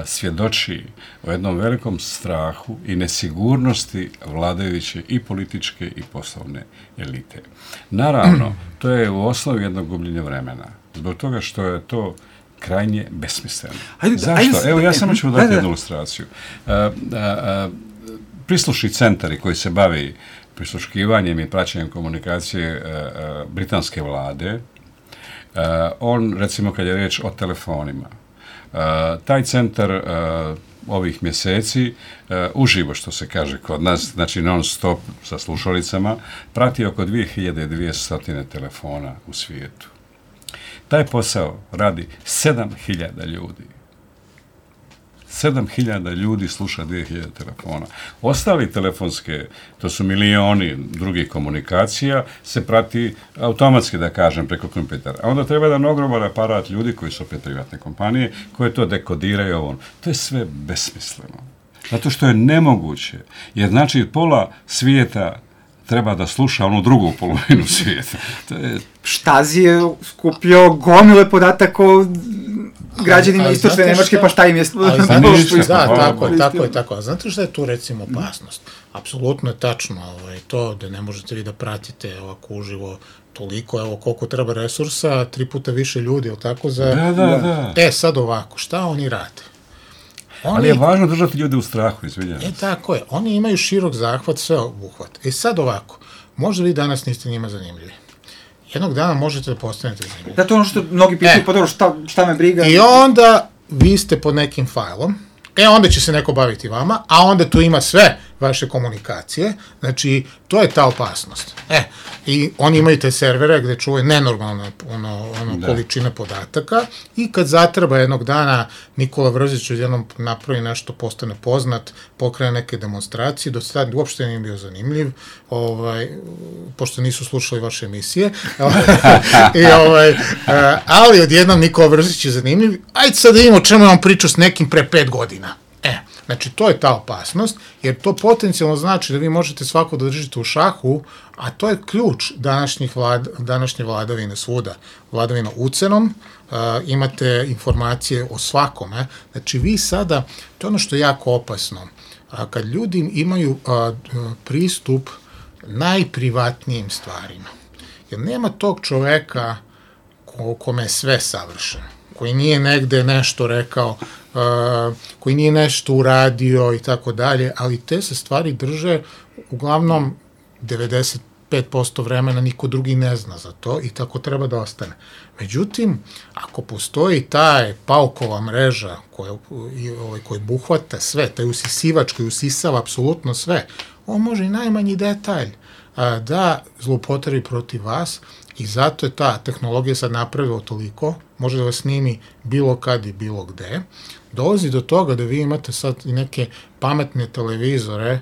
svjedoči o jednom velikom strahu i nesigurnosti vladajuće i političke i poslovne elite. Naravno, to je u osnovi jedno gubljenje vremena, zbog toga što je to krajnje besmisleno. Ajde, Zašto? Ajde, Evo, ja samo ću dati jednu ilustraciju. Prislušni centari koji se bavi prisluškivanjem i praćenjem komunikacije britanske vlade, Uh, on, recimo, kad je riječ o telefonima, uh, taj centar uh, ovih mjeseci, uh, uživo, što se kaže kod nas, znači non stop sa slušalicama, prati oko dvije hiljade dvjesto telefona u svijetu. Taj posao radi sedam hiljada ljudi. sedam hiljada ljudi sluša dvije hiljade telefona. Ostali telefonske, to su milioni drugih komunikacija, se prati automatski, da kažem, preko kompjutera. A onda treba jedan ogroman aparat ljudi koji su opet privatne kompanije, koje to dekodiraju ovo. To je sve besmisleno. Zato što je nemoguće. Jer znači pola svijeta treba da sluša onu drugu polovinu svijeta. To je... Štazi je skupio gomile podataka o građanima istočne Nemačke, pa šta im je... Da, tako je, tako je, tako. A znate šta je tu, recimo, opasnost? Apsolutno je tačno ovaj, to da ne možete vi da pratite ovako uživo toliko, evo koliko treba resursa, tri puta više ljudi, ili tako, za... Da, da, da. E, sad ovako, šta oni rade? Oni... Ali je važno držati ljude u strahu, izvinjam. E, tako je. Oni imaju širok zahvat, sve obuhvat. E, sad ovako, možda vi danas niste njima zanimljivi. Jednog dana možete da postanete zanimljivi. Da, to ono što mnogi pitaju, e, pa dobro, šta, šta me briga? I onda vi ste pod nekim fajlom, e, onda će se neko baviti vama, a onda tu ima sve vaše komunikacije, znači, to je ta opasnost. E, i oni imaju te servere gde čuvaju nenormalna ono, ono količina podataka i kad zatreba jednog dana Nikola Vrzić odjednom napravi nešto, postane poznat, pokrene neke demonstracije, do sad uopšte nije bio zanimljiv, ovaj, pošto nisu slušali vaše emisije, I, ovaj, ali odjednom Nikola Vrzić je zanimljiv, ajde sad da imamo čemu je on pričao s nekim pre pet godina. E, znači, to je ta opasnost, jer to potencijalno znači da vi možete svako da držite u šahu, a to je ključ današnjih vlad, današnje vladavine svuda. Vladavina ucenom, uh, imate informacije o svakome. Znači, vi sada, to je ono što je jako opasno, a kad ljudi imaju uh, pristup najprivatnijim stvarima, jer nema tog čoveka ko, kome je sve savršeno, koji nije negde nešto rekao, uh, koji nije nešto uradio i tako dalje, ali te se stvari drže uglavnom devedeset pet posto vremena niko drugi ne zna za to i tako treba da ostane. Međutim, ako postoji taj paukova mreža koja, ovaj, koji buhvata sve, taj usisivač koji usisava apsolutno sve, on može i najmanji detalj a, da zloupotrebi protiv vas i zato je ta tehnologija sad napravila toliko, može da vas snimi bilo kad i bilo gde, dolazi do toga da vi imate sad i neke pametne televizore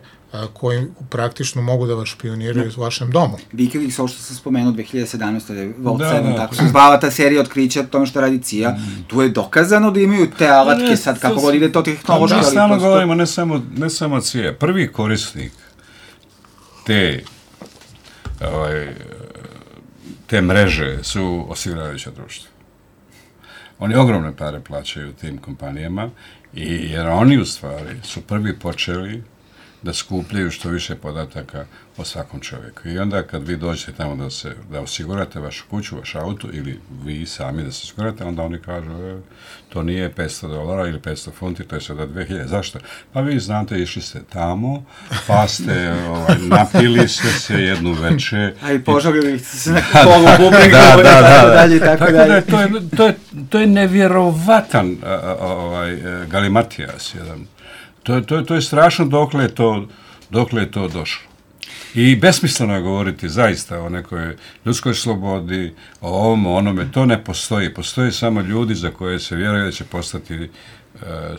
koji praktično mogu da vas špioniraju u vašem domu. Wikileaks, ovo što sam spomenuo dve hiljade sedamnaeste. Vault Da, sedam, da. tako se zvala ta serija otkrića o tome što radi C I A. Mm. Tu je dokazano da imaju te alatke Ne, sad, to kako su- god ide to tehnološki. Mi ali stalno prosto- govorimo ne samo, ne samo C I A. Prvi korisnik te ovaj, te mreže su osiguravajuća društva. Oni ogromne pare plaćaju tim kompanijama i jer oni u stvari su prvi počeli da skupljaju što više podataka o svakom čovjeku. I onda kad vi dođete tamo da se da osigurate vašu kuću, vaš auto ili vi sami da se osigurate, onda oni kažu e, to nije petsto dolara ili petsto funti, to je sada dve hiljade. Zašto? Pa vi znate, išli ste tamo, pa ste ovaj, napili ste se jednu veče. A i požalili ste se na kolu bubregu, da, da, da, tako da. dalje i tako Tako dalje. da je to je, to je, to je nevjerovatan a, a, ovaj, e, galimatijas jedan. To, to, to je strašno dokle je to, dokle je to došlo. I besmisleno je govoriti zaista o nekoj ljudskoj slobodi, o ovom, o onome. To ne postoji. Postoje samo ljudi za koje se vjeruje da će postati e,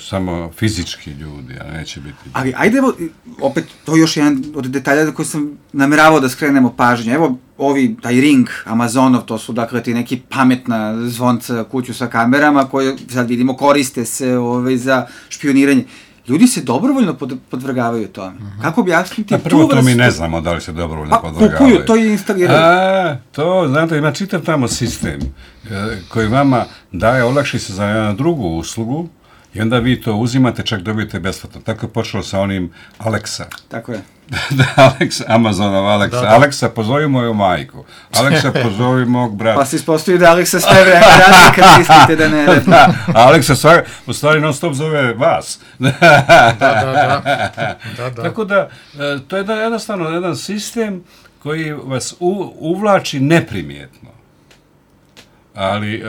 samo fizički ljudi, a neće biti ljudi. Ali ajde, evo, opet, to je još jedan od detalja na koji sam nameravao da skrenemo pažnju. Evo, ovi, taj Ring, Amazonov, to su, dakle, ti neki pametna zvonca kuću sa kamerama koje, sad vidimo, koriste se ovaj, za špioniranje. Ljudi se dobrovoljno pod, podvrgavaju tome. Uh-huh. Kako objasniti A tu prvo to mi vrstu- ne znamo da li se dobrovoljno Pa, podvrgavaju. kupuju, to i instaliraju. A, to, znate, ima čitav tamo sistem e, koji vama daje olakšice za jednu drugu uslugu i onda vi to uzimate, čak dobijete besplatno. Tako je počelo sa onim Alexa. Tako je. da, Alexa, Amazonov Alexa. Da, da. Alexa, pozovi moju majku. Alexa, pozovi mog brata. Pa se ispostavi da Alexa sve vreme radi kad mislite da ne radi. Da, Alexa svak, u stvari non stop zove vas. Da, da, da. da, da. Tako da, e, to je jedan, jednostavno jedan sistem koji vas u, uvlači neprimjetno. Ali e,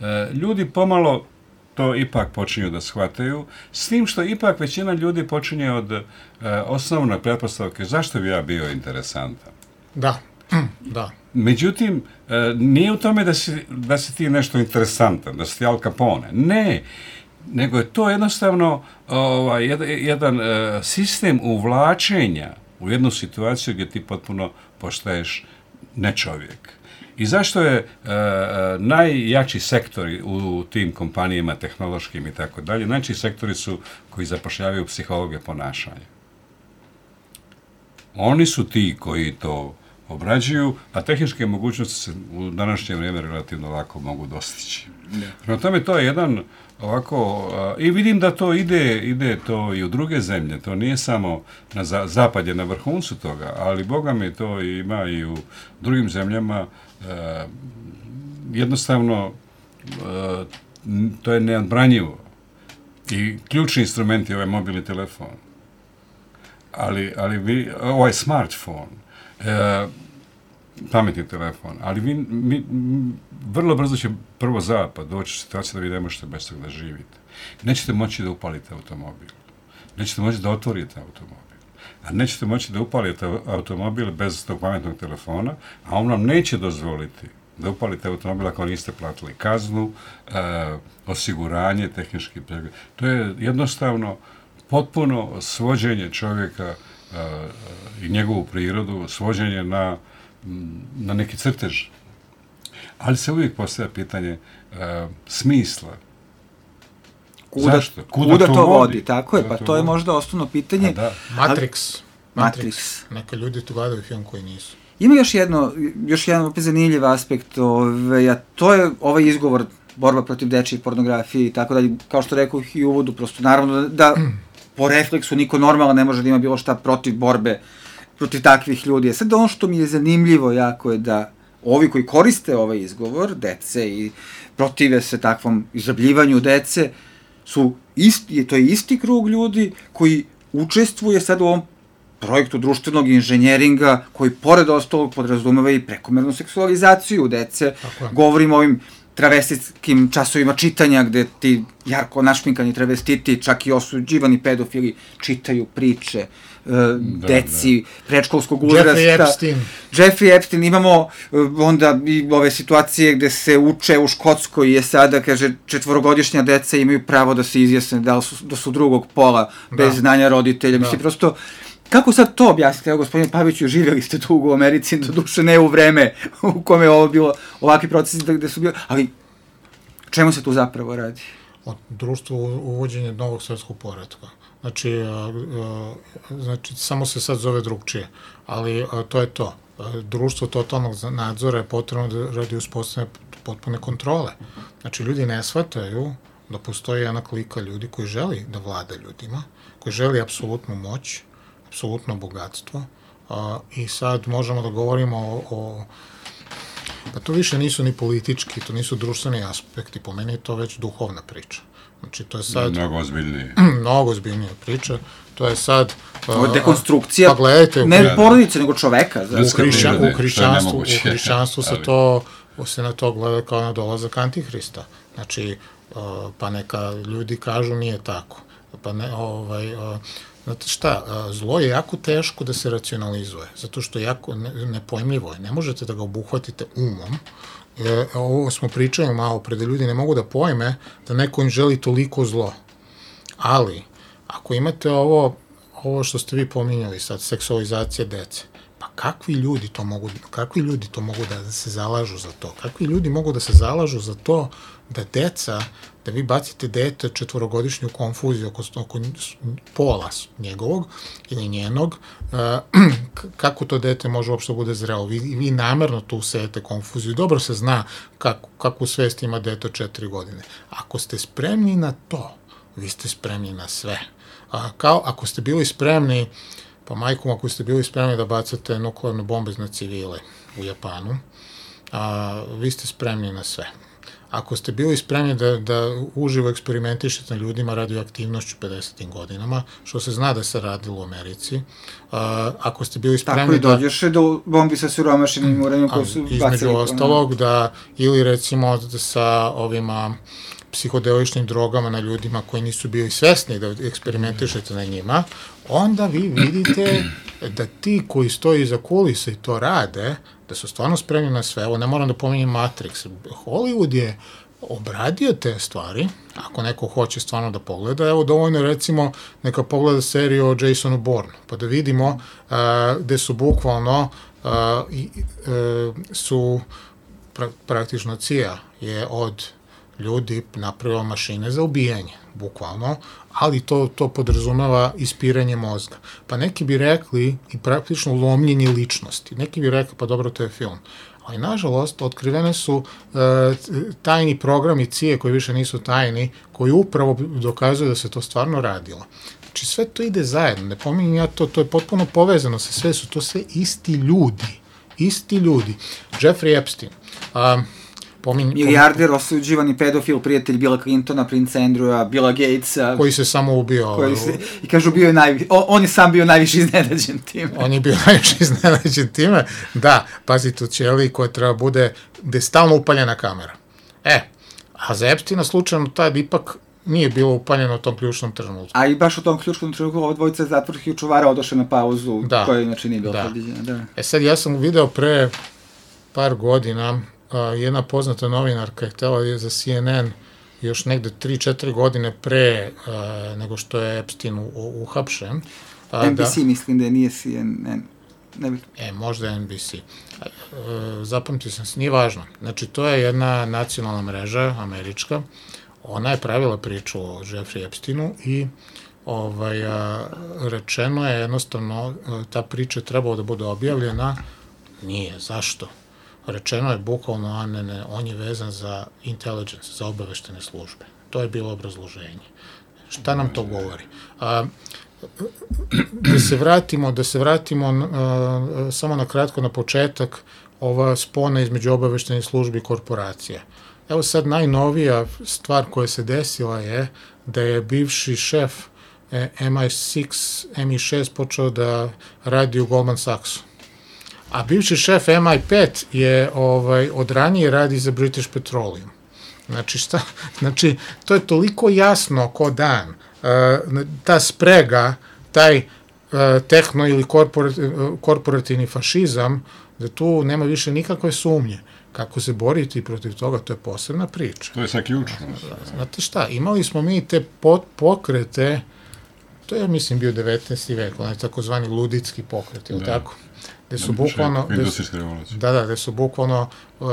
e, ljudi pomalo to ipak počinju da shvataju, s tim što ipak većina ljudi počinje od e, osnovne pretpostavke zašto bi ja bio interesantan. Da, da. Međutim, e, nije u tome da si, da si ti nešto interesantan, da si ti Al Capone. Ne, nego je to jednostavno ovaj, jedan, jedan e, sistem uvlačenja u jednu situaciju gdje ti potpuno postaješ nečovjek. I zašto je e, najjači sektori u tim kompanijama tehnološkim i tako dalje, najjači sektori su koji zapošljavaju psihologe ponašanja. Oni su ti koji to obrađuju, a tehničke mogućnosti se u današnje vrijeme relativno lako mogu dostići. Prema tome, to je jedan ovako, a, i vidim da to ide, ide to i u druge zemlje, to nije samo na za, zapad je na vrhuncu toga, ali Boga mi to ima i u drugim zemljama, a, jednostavno a, to je neodbranjivo. I ključni instrument je ovaj mobilni telefon. Ali, ali vi, ovaj smartphone, e, pametni telefon, ali vi, mi, m, vrlo brzo će prvo zapad doći u situaciju da vi ne možete bez toga da živite. Nećete moći da upalite automobil. Nećete moći da otvorite automobil. A nećete moći da upalite automobil bez tog pametnog telefona, a on vam neće dozvoliti da upalite automobil ako niste platili kaznu, e, osiguranje, tehnički pregled. To je jednostavno potpuno svođenje čovjeka uh, i njegovu prirodu, svođenje na, na neki crtež. Ali se uvijek postavlja pitanje uh, smisla. Kuda, Zašto? Kuda, kuda to vodi? vodi? Tako je, Kuda pa to to je vodi? možda osnovno pitanje. Da. Matrix. Matrix. Matrix. Neka ljudi tu gledaju film koji nisu. Ima još jedno, još jedan opet zanimljiv aspekt, ove, a to je ovaj izgovor borba protiv dečije pornografije i tako dalje, kao što rekao i u uvodu, prosto naravno da, da po refleksu niko normalno ne može da ima bilo šta protiv borbe protiv takvih ljudi. Sad ono što mi je zanimljivo jako je da ovi koji koriste ovaj izgovor, dece i protive se takvom izrabljivanju dece, su isti, to je isti krug ljudi koji učestvuje sad u ovom projektu društvenog inženjeringa koji pored ostalog podrazumeva i prekomernu seksualizaciju dece. Govorimo o ovim travestitskim časovima čitanja gde ti jarko našminkani travestiti, čak i osuđivani pedofili čitaju priče uh, da, deci da. Predškolskog uzrasta. Jeffrey Epstein. Jeffrey Epstein. Imamo uh, onda i ove situacije gde se uče u Škotskoj je sada, kaže, četvorogodišnja deca imaju pravo da se izjasne da su, da su drugog pola bez da. znanja roditelja. Da. Mislim, prosto Kako sad to objasnite? Evo, gospodine Paviću, živjeli ste tu u Americi, do duše ne u vreme u kome je ovo bilo, ovakvi procesi gde su bili, ali čemu se tu zapravo radi? Od društva uvođenja novog svetskog poretka. Znači, a, a, znači, samo se sad zove drugčije, ali a, to je to. A, društvo totalnog nadzora je potrebno da radi uspostavljanja potpune kontrole. Znači, ljudi ne shvataju da postoji jedna klika ljudi koji želi da vlada ljudima, koji želi apsolutnu moć, apsolutno bogatstvo, a, i sad možemo da govorimo o, o pa to više nisu ni politički, to nisu društveni aspekti, po meni je to već duhovna priča. Znači, to je sad... Mnogo ozbiljnije. Mnogo ozbiljnija priča. To je sad... Ovo je dekonstrukcija, pa gledajte, ne porodice, nego čoveka. U, hrišćan, u hrišćanstvu, u hrišćanstvu se to, se na to gleda kao na dolazak Antihrista. Znači, pa neka ljudi kažu nije tako. Pa ne, ovaj... Znate šta, zlo je jako teško da se racionalizuje, zato što je jako nepojmljivo je. Ne možete da ga obuhvatite umom. E, ovo smo pričali malo pre, da ljudi ne mogu da pojme da neko im želi toliko zlo. Ali, ako imate ovo, ovo što ste vi pominjali sad, seksualizacija dece, pa kakvi ljudi to mogu, kakvi ljudi to mogu da se zalažu za to? Kakvi ljudi mogu da se zalažu za to da deca, da vi bacite dete četvorogodišnju konfuziju oko, oko pola njegovog ili njenog, uh, kako to dete može uopšte bude zrelo? Vi, vi namerno tu sejete konfuziju. Dobro se zna kako, kakvu svest ima dete od četiri godine. Ako ste spremni na to, vi ste spremni na sve. A, kao ako ste bili spremni, pa majkom, ako ste bili spremni da bacate nuklearne bombe na civile u Japanu, a, vi ste spremni na sve. Ako ste bili spremni da, da uživo eksperimentišete na ljudima radioaktivnošću pedesetim godinama, što se zna da se radilo u Americi, a, ako ste bili spremni da... Tako i dođeš do bombi sa siromašenim uranijom koji su bacili. Između ostalog, da, ili recimo da sa ovima psihodeličnim drogama na ljudima koji nisu bili svesni da eksperimentišete na njima, onda vi vidite da ti koji stoji iza kulisa i to rade, da su stvarno spremni na sve. Ovo ne moram da pominjem Matrix. Hollywood je obradio te stvari, ako neko hoće stvarno da pogleda. Evo, dovoljno recimo neka pogleda seriju o Jasonu Bourne, pa da vidimo uh, gde su bukvalno uh, i, uh, su pra, praktično C I A je od ljudi napravila mašine za ubijanje, bukvalno, ali to, to podrazumeva ispiranje mozga. Pa neki bi rekli i praktično lomljenje ličnosti. Neki bi rekli, pa dobro, to je film. Ali, nažalost, otkrivene su uh, tajni programi C I A koji više nisu tajni, koji upravo dokazuju da se to stvarno radilo. Znači, sve to ide zajedno. Ne pominjem ja to, to je potpuno povezano sa sve, su to sve isti ljudi. Isti ljudi. Jeffrey Epstein. Um, Pomin, milijarder, osuđivani pedofil, prijatelj Billa Clintona, princa Andrewa, Billa Gatesa. Koji se samo ubio. Koji se, I kažu, bio je najvi, on, on je sam bio najviše iznenađen time. On je bio najviše iznenađen time. Da, pazite, u ćeliji koja treba bude, gde je stalno upaljena kamera. E, a za Epsteina slučajno tad ipak nije bilo upaljeno u tom ključnom trenutku. A i baš u tom ključnom trenutku ovo dvojica zatvorskih čuvara odoše na pauzu, da, koja inače nije bila da. predviđena. Da. E sad, ja sam video pre par godina, Uh, jedna poznata novinarka je htjela je za C N N još negde tri četiri godine pre uh, nego što je Epstein uhapšen. Uh, N B C da, mislim da nije C N N. Ne bih... E, možda je N B C. Uh, zapamtio sam se, nije važno. Znači, to je jedna nacionalna mreža, američka. Ona je pravila priču o Jeffrey Epsteinu i ovaj, uh, rečeno je jednostavno, uh, ta priča je trebala da bude objavljena. Nije. Zašto? Rečeno je bukvalno, a ne, ne, on je vezan za intelligence, za obaveštene službe. To je bilo obrazloženje. Šta nam to govori? A, da se vratimo, da se vratimo a, samo na kratko na početak, ova spona između obaveštenih službi i korporacija. Evo sad najnovija stvar koja se desila je da je bivši šef M I šest, M I šest počeo da radi u Goldman Sachsu. A bivši šef M I pet je ovaj, od ranije radi za British Petroleum. Znači, šta? Znači, to je toliko jasno ko dan. Uh, ta sprega, taj uh, tehno ili korporat, uh, korporativni fašizam, da tu nema više nikakve sumnje. Kako se boriti protiv toga, to je posebna priča. To je sad ključno. Znate šta, imali smo mi te pot, pokrete To je, mislim, bio devetnaesti vek, onaj takozvani luditski pokret, je li tako? Gde su bukvalno... Industrijska revolucija. Da, da, gde su bukvalno uh,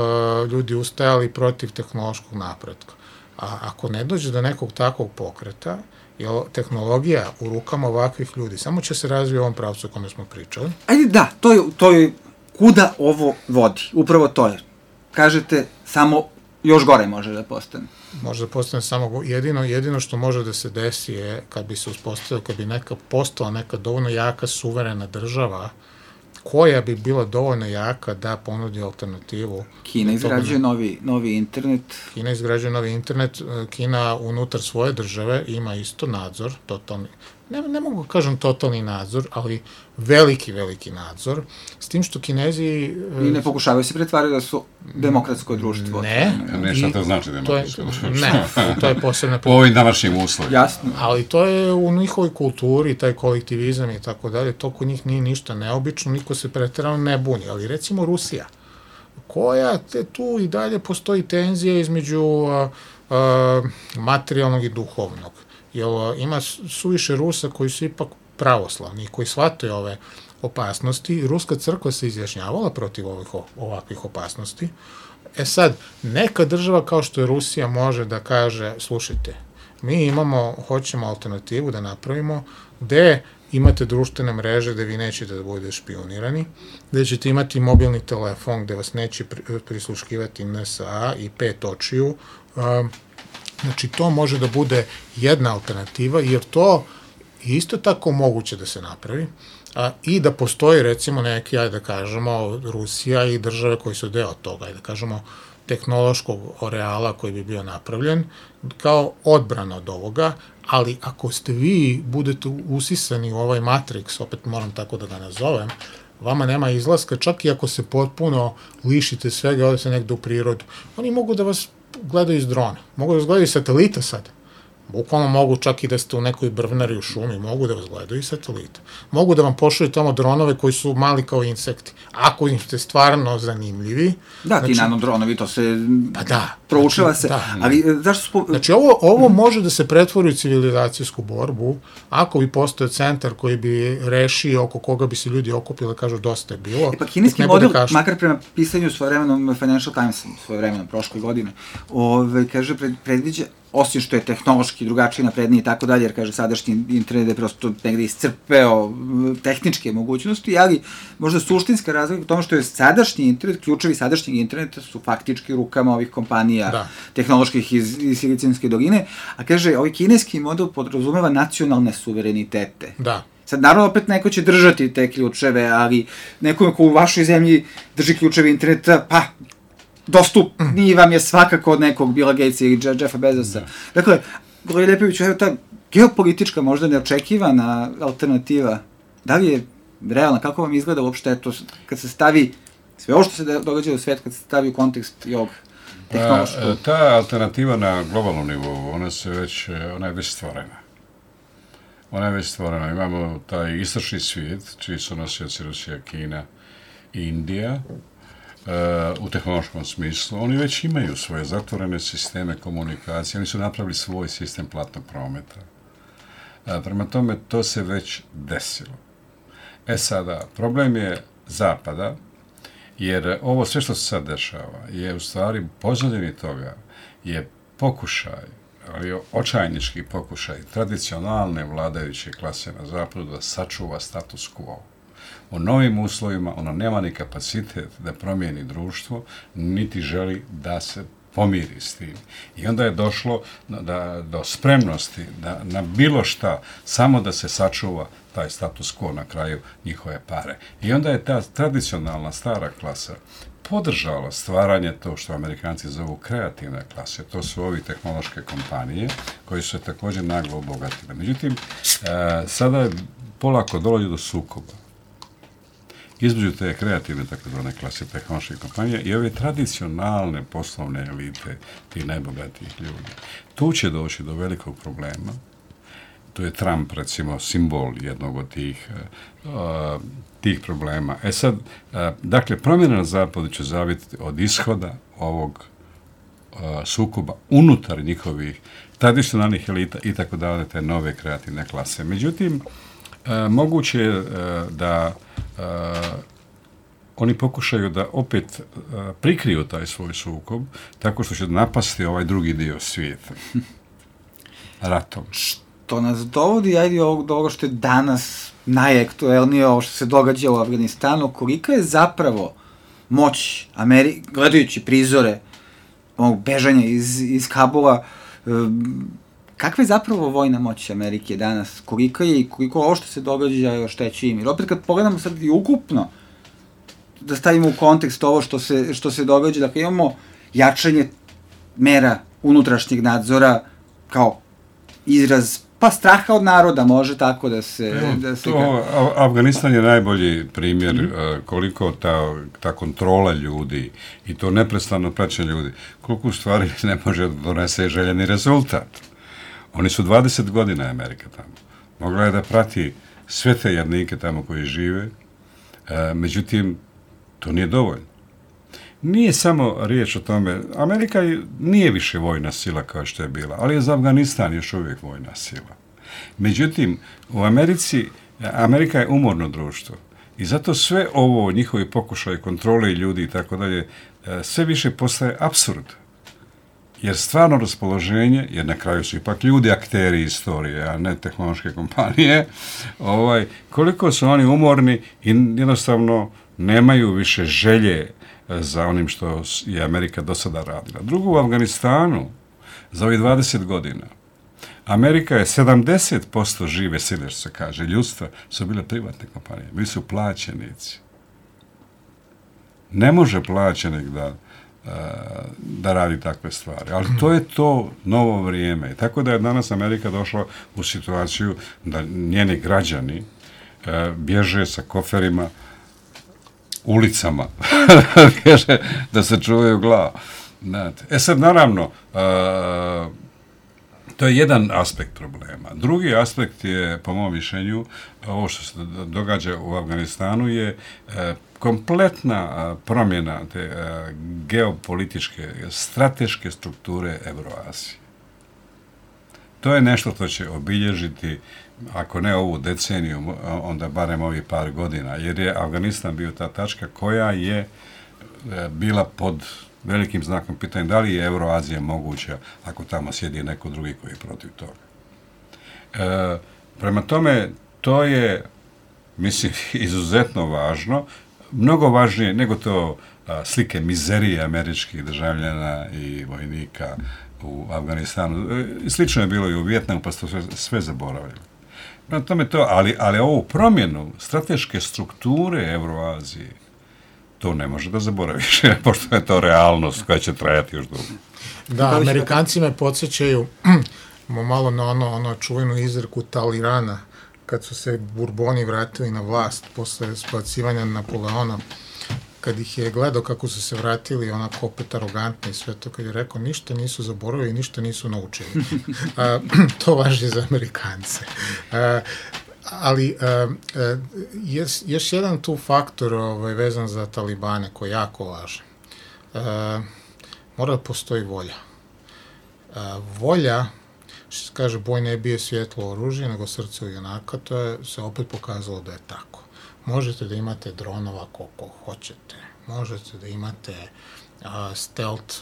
ljudi ustajali protiv tehnološkog napretka. A ako ne dođe do nekog takvog pokreta, je tehnologija u rukama ovakvih ljudi samo će se razvije u ovom pravcu o kome smo pričali. Ajde, da, to je, to je kuda ovo vodi. Upravo to je. Kažete, samo još gore može da postane. Može da postane samo jedino, jedino što može da se desi je kad bi se uspostavila, kad bi neka postala neka dovoljno jaka suverena država koja bi bila dovoljno jaka da ponudi alternativu. Kina izgrađuje novi, novi internet. Kina izgrađuje novi internet, Kina unutar svoje države ima isto nadzor, totalni, ne, ne mogu kažem totalni nadzor, ali veliki, veliki nadzor, s tim što Kinezi... I ne pokušavaju se pretvarati da su demokratsko društvo. Ne. Ne, šta to znači demokratsko društvo? Ne, to je posebna... Po ovim današnjim uslovima. Jasno. Ali to je u njihovoj kulturi, taj kolektivizam i tako dalje, to kod njih nije ništa neobično, niko se preterano ne buni, ali recimo Rusija, koja te tu i dalje postoji tenzija između a, a, materijalnog i duhovnog. Jer ima suviše Rusa koji su ipak pravoslavni, koji shvataju ove opasnosti. Ruska crkva se izjašnjavala protiv ovih, ovakvih opasnosti. E sad, neka država kao što je Rusija može da kaže, slušajte, mi imamo, hoćemo alternativu da napravimo, gde imate društvene mreže gde vi nećete da budete špionirani, gde ćete imati mobilni telefon gde vas neće prisluškivati N S A i pet očiju. Znači, to može da bude jedna alternativa, jer to je isto tako moguće da se napravi a, i da postoji, recimo, neki, ajde da kažemo, Rusija i države koji su deo toga, ajde da kažemo, tehnološkog areala koji bi bio napravljen kao odbrana od ovoga, ali ako ste vi budete usisani u ovaj Matrix, opet moram tako da ga nazovem, vama nema izlaska, čak i ako se potpuno lišite svega, ode se negde u prirodu. Oni mogu da vas gledaju iz drona, mogu da vas gledaju iz satelita sad. Bukvalno mogu čak i da ste u nekoj brvnari u šumi, mogu da vas gledaju iz satelita. Mogu da vam pošalju tamo dronove koji su mali kao insekti. Ako im ste stvarno zanimljivi... Da, znači, ti nanodronovi, to se pa da, proučava znači, se. Da. Ali, zašto spo... Znači, ovo, ovo može da se pretvori u civilizacijsku borbu, ako bi postojao centar koji bi rešio, oko koga bi se ljudi okupili, kažu dosta je bilo. E pa kineski model, makar prema pisanju svojevremenom Financial Times, svojevremenom prošle godine, ove, kaže, pred, predviđa, osim što je tehnološki drugačiji, napredniji i tako dalje, jer kaže sadašnji internet je prosto negde iscrpeo tehničke mogućnosti, ali možda suštinska razlika u tome što je sadašnji internet, ključevi sadašnjeg interneta su faktički rukama ovih kompanija da. tehnoloških iz, iz Silicijske doline, a kaže, ovaj kineski model podrazumeva nacionalne suverenitete. Da. Sad, naravno, opet neko će držati te ključeve, ali nekome ko u vašoj zemlji drži ključeve interneta, pa, dostupniji vam je svakako od nekog Billa Gatesa ili Jeffa Bezosa. Da. Dakle, Goraj Lepoviću, evo ta geopolitička, možda neočekivana alternativa, da li je realna, kako vam izgleda uopšte to, kad se stavi, sve ovo što se događa u svijet, kad se stavi u kontekst i ovog tehnološkog? Pa, ta alternativa na globalnom nivou, ona se već, ona je već stvorena. Ona je već stvorena. Imamo taj istočni svijet, čiji su nosioci Rusija, Kina i Indija, u tehnološkom smislu. Oni već imaju svoje zatvorene sisteme komunikacije, oni su napravili svoj sistem platnog prometa. Prema tome, to se već desilo. E sada, problem je Zapada, jer ovo sve što se sad dešava je u stvari pozadini toga, je pokušaj, ali očajnički pokušaj tradicionalne vladajuće klase na Zapadu da sačuva status quo. U novim uslovima ona nema ni kapacitet da promijeni društvo, niti želi da se pomiri s tim. I onda je došlo da, do spremnosti da, na bilo šta, samo da se sačuva taj status quo na kraju njihove pare. I onda je ta tradicionalna stara klasa podržala stvaranje to što Amerikanci zovu kreativne klase. To su ovi tehnološke kompanije koji su se također naglo obogatile. Međutim, e, sada je polako dolazi do sukoba između te kreativne takozvane klase tehnološke kompanije i ove tradicionalne poslovne elite, tih najbogatijih ljudi. Tu će doći do velikog problema. Tu je Trump, recimo, simbol jednog od tih, uh, tih problema. E sad, uh, dakle, promjena na Zapadu će zaviti od ishoda ovog sukoba unutar njihovih tradicionalnih elita i tako dalje, te nove kreativne klase. Međutim, a, moguće je a, da a, oni pokušaju da opet a, prikriju taj svoj sukob tako što će napasti ovaj drugi dio svijeta. Ratom. Što nas dovodi, ajde, do ovoga što je danas najaktuelnije, ovo što se događa u Afganistanu, kolika je zapravo moć Amerike, gledajući prizore ovog bežanja iz, iz Kabula, kakva je zapravo vojna moć Amerike danas, kolika je i koliko ovo što se događa još teći im. Jer opet kad pogledamo sad i ukupno, da stavimo u kontekst ovo što se, što se događa, dakle imamo jačanje mera unutrašnjeg nadzora kao izraz, pa straha od naroda, može tako da se... Evo, da se to, ka... Afganistan je najbolji primjer mm-hmm. koliko ta, ta kontrola ljudi i to neprestano praćenje ljudi, koliko u stvari ne može da donese željeni rezultat. Oni su dvadeset godina Amerika tamo. Mogla je da prati sve te jadnike tamo koji žive, e, međutim, to nije dovoljno. Nije samo riječ o tome, Amerika nije više vojna sila kao što je bila, ali je za Afganistan još uvijek vojna sila. Međutim, u Americi, Amerika je umorno društvo i zato sve ovo, njihovi pokušaj kontrole ljudi i tako dalje, sve više postaje apsurd. Jer stvarno raspoloženje, jer na kraju su ipak ljudi akteri istorije, a ne tehnološke kompanije, ovaj, koliko su oni umorni i jednostavno nemaju više želje za onim što je Amerika do sada radila. Drugo, u Afganistanu, za ovih dvadeset godina, Amerika je sedamdeset posto žive sile, što se kaže, ljudstva, su bile privatne kompanije. Bili su plaćenici. Ne može plaćenik da, da radi takve stvari. Ali to je to novo vrijeme. Tako da je danas Amerika došla u situaciju da njeni građani bježe sa koferima ulicama, da se čuvaju glavu. E sad, naravno, uh, to je jedan aspekt problema. Drugi aspekt je, po mom mišljenju, ovo što se događa u Afganistanu je uh, kompletna uh, promjena te uh, geopolitičke, strateške strukture Evroazije. To je nešto što će obilježiti, ako ne ovu deceniju, onda barem ovih par godina, jer je Afganistan bio ta tačka koja je bila pod velikim znakom pitanja da li je Evroazija moguća ako tamo sjedi neko drugi koji je protiv toga. E, prema tome, to je, mislim, izuzetno važno, mnogo važnije nego to a, slike mizerije američkih državljana i vojnika u Afganistanu. E, slično je bilo i u Vijetnamu, pa ste sve, sve zaboravili. Prema tome to, ali, ali ovu promjenu strateške strukture Evroazije, to ne može da zaboraviš, pošto je to realnost koja će trajati još dugo. Da, Amerikanci me podsjećaju malo na ono, ono čuvenu izreku Talirana, kad su se Burboni vratili na vlast posle spacivanja Napoleona, kad ih je gledao kako su se vratili, onako opet arogantni i sve to, kad je rekao ništa nisu zaboravili i ništa nisu naučili. A, to važi za Amerikance. A, ali a, a, jes, još jedan tu faktor ovaj, vezan za Talibane koji je jako važan. A, mora da postoji volja. A, volja, što se kaže, boj ne bije svjetlo oružje, nego srce u junaka, to je se opet pokazalo da je tako. Možete da imate dronova koliko hoćete, možete da imate a, stealth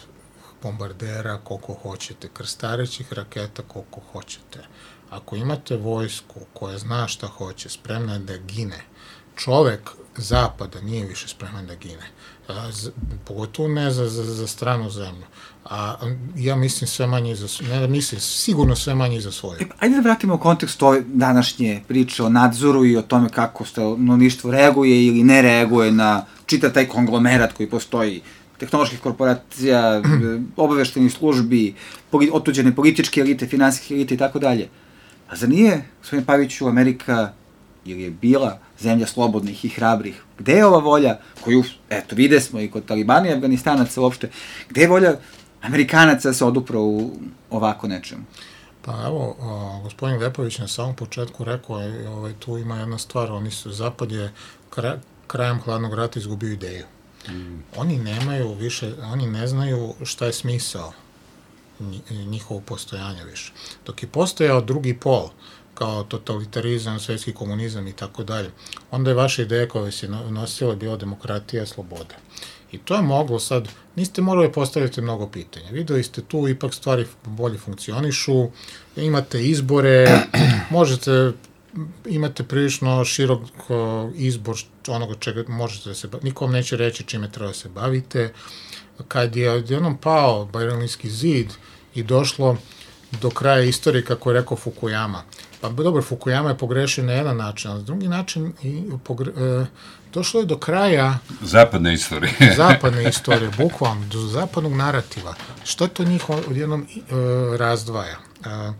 bombardera koliko hoćete, krstarećih raketa koliko hoćete. Ako imate vojsku koja zna šta hoće, spremna je da gine, čovek zapada nije više spreman da gine, a, z, pogotovo ne za, za, za stranu zemlju. A ja mislim sve manje za, ne mislim, sigurno sve manje za svoje. E, ajde da vratimo u kontekst ove današnje priče o nadzoru i o tome kako stanovništvo reaguje ili ne reaguje na čitav taj konglomerat koji postoji, tehnoloških korporacija, obaveštenih službi, otuđene političke elite, finansijske elite i tako dalje. A za nije, gospodine Paviću, Amerika ili je bila zemlja slobodnih i hrabrih? Gde je ova volja koju, eto, vide smo i kod Talibana i Afganistanaca uopšte, gde je volja Amerikanaca da se odupro u ovako nečemu? Pa evo, o, gospodin Vepović na samom početku rekao je, ovaj, tu ima jedna stvar, oni su, Zapad je kra, krajem hladnog rata izgubio ideju. Mm. Oni nemaju više, oni ne znaju šta je smisao njihovog postojanja više. Dok je postojao drugi pol, kao totalitarizam, svetski komunizam i tako dalje, onda je vaša ideja koja se nosila bila demokratija, sloboda. I to je moglo sad, niste morali postaviti mnogo pitanja. Videli ste tu, ipak stvari bolje funkcionišu, imate izbore, možete, imate prilično širok izbor onoga čega možete da se bavite. Nikom neće reći čime treba da se bavite. Kad je odjednom pao Berlinski zid i došlo do kraja istorije, kako je rekao Fukuyama, pa dobro, Fukuyama je pogrešio na jedan način, ali s drugi način i pogre, e, došlo je do kraja zapadne istorije. zapadne istorije, bukvalno, do zapadnog narativa. Što to njih odjednom e, razdvaja? E, e,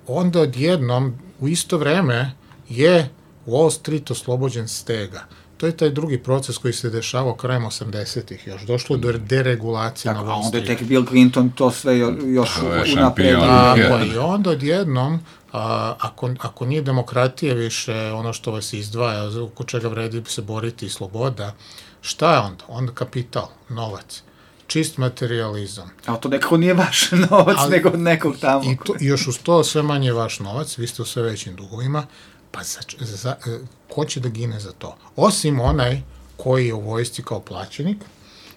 onda odjednom, u isto vreme, je Wall Street oslobođen stega. To je taj drugi proces koji se dešavao krajem osamdesetih još. Došlo do deregulacije na Wall Street. A onda je tek Bill Clinton to sve još unapredio. Tako, i onda odjednom, a, ako, ako nije demokratija više ono što vas izdvaja, oko čega vredi se boriti i sloboda, šta je onda? Onda kapital, novac, čist materializam. A to nekako nije vaš novac, ali, nego od nekog tamo. I, to, I još uz to sve manje vaš novac, vi ste u sve većim dugovima, pa za, za, ko će da gine za to? Osim onaj koji je u vojsci kao plaćenik,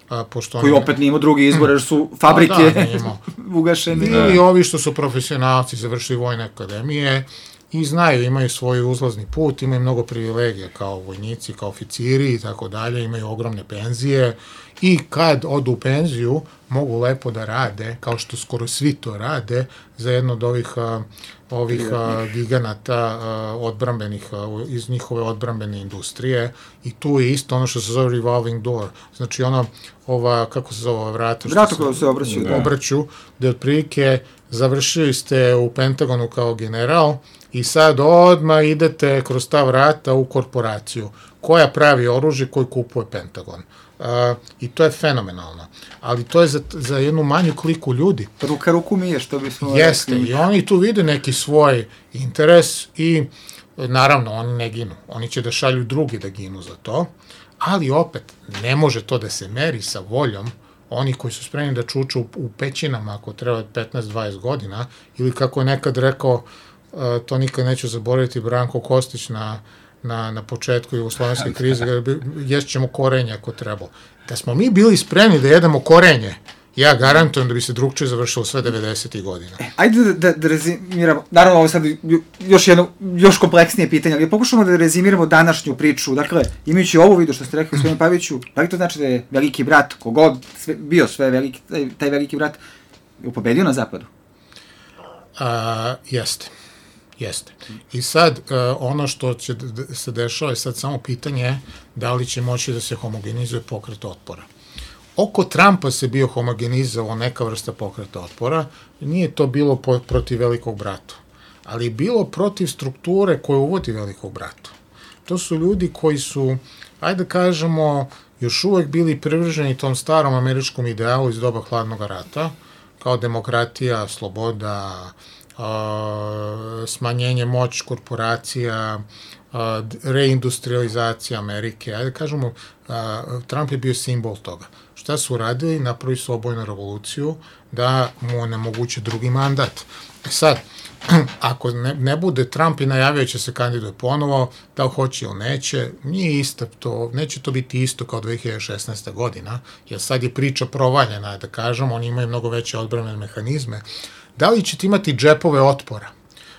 a, pošto koji opet nije imao drugi izbor, jer su fabrike da, ugašene. Ili ovi što su profesionalci, završili vojne akademije i znaju, imaju svoj uzlazni put, imaju mnogo privilegija kao vojnici, kao oficiri i tako dalje, imaju ogromne penzije i kad odu u penziju mogu lepo da rade, kao što skoro svi to rade, za jedno od ovih a, ovih a, giganata a, odbrambenih, a, iz njihove odbrambene industrije i tu je isto ono što se zove revolving door, znači ono, ova, kako se zove, vrata, vrata koja se obraću, da. obraću, gde otprilike završili ste u Pentagonu kao general i sad odmah idete kroz ta vrata u korporaciju koja pravi oružje koji kupuje Pentagon. Uh, i to je fenomenalno. Ali to je za, za jednu manju kliku ljudi. Ruka ruku mije, što bismo... Jeste, rekli. I oni tu vide neki svoj interes i naravno oni ne ginu. Oni će da šalju drugi da ginu za to, ali opet ne može to da se meri sa voljom oni koji su spremni da čuču u, u pećinama ako treba petnaest dvadeset godina ili kako je nekad rekao, uh, to nikad neću zaboraviti, Branko Kostić na na, na početku jugoslovenske krize, ješćemo korenje ako treba. Da smo mi bili spremni da jedemo korenje, ja garantujem da bi se drugčije završilo sve devedesetih godina. E, ajde da, da, da rezimiramo, naravno ovo sad još jedno, još kompleksnije pitanje, ali pokušamo da rezimiramo današnju priču. Dakle, imajući ovu vidu što ste rekli gospodinu Paviću, da li to znači da je veliki brat, kogod sve, bio sve veliki, taj, taj veliki brat, je pobedio na zapadu? A, jeste. Jeste. I sad, uh, ono što će d- se dešava je sad samo pitanje da li će moći da se homogenizuje pokret otpora. Oko Trumpa se bio homogenizovao neka vrsta pokreta otpora, nije to bilo po, protiv velikog brata, ali je bilo protiv strukture koje uvodi velikog brata. To su ljudi koji su, ajde da kažemo, još uvek bili privrženi tom starom američkom idealu iz doba hladnog rata, kao demokratija, sloboda, Uh, smanjenje moći korporacija, uh, reindustrializacija Amerike, ajde kažemo, uh, Trump je bio simbol toga. Šta su radili? Napravili su obojnu revoluciju da mu onemoguće drugi mandat. Sad, ako ne, ne bude Trump i najavio će se kandiduje ponovo, da li hoće ili neće, nije isto to, neće to biti isto kao dve hiljade šesnaeste. godina, jer sad je priča provaljena, da kažem, oni imaju mnogo veće odbrambene mehanizme. Da li ćete imati džepove otpora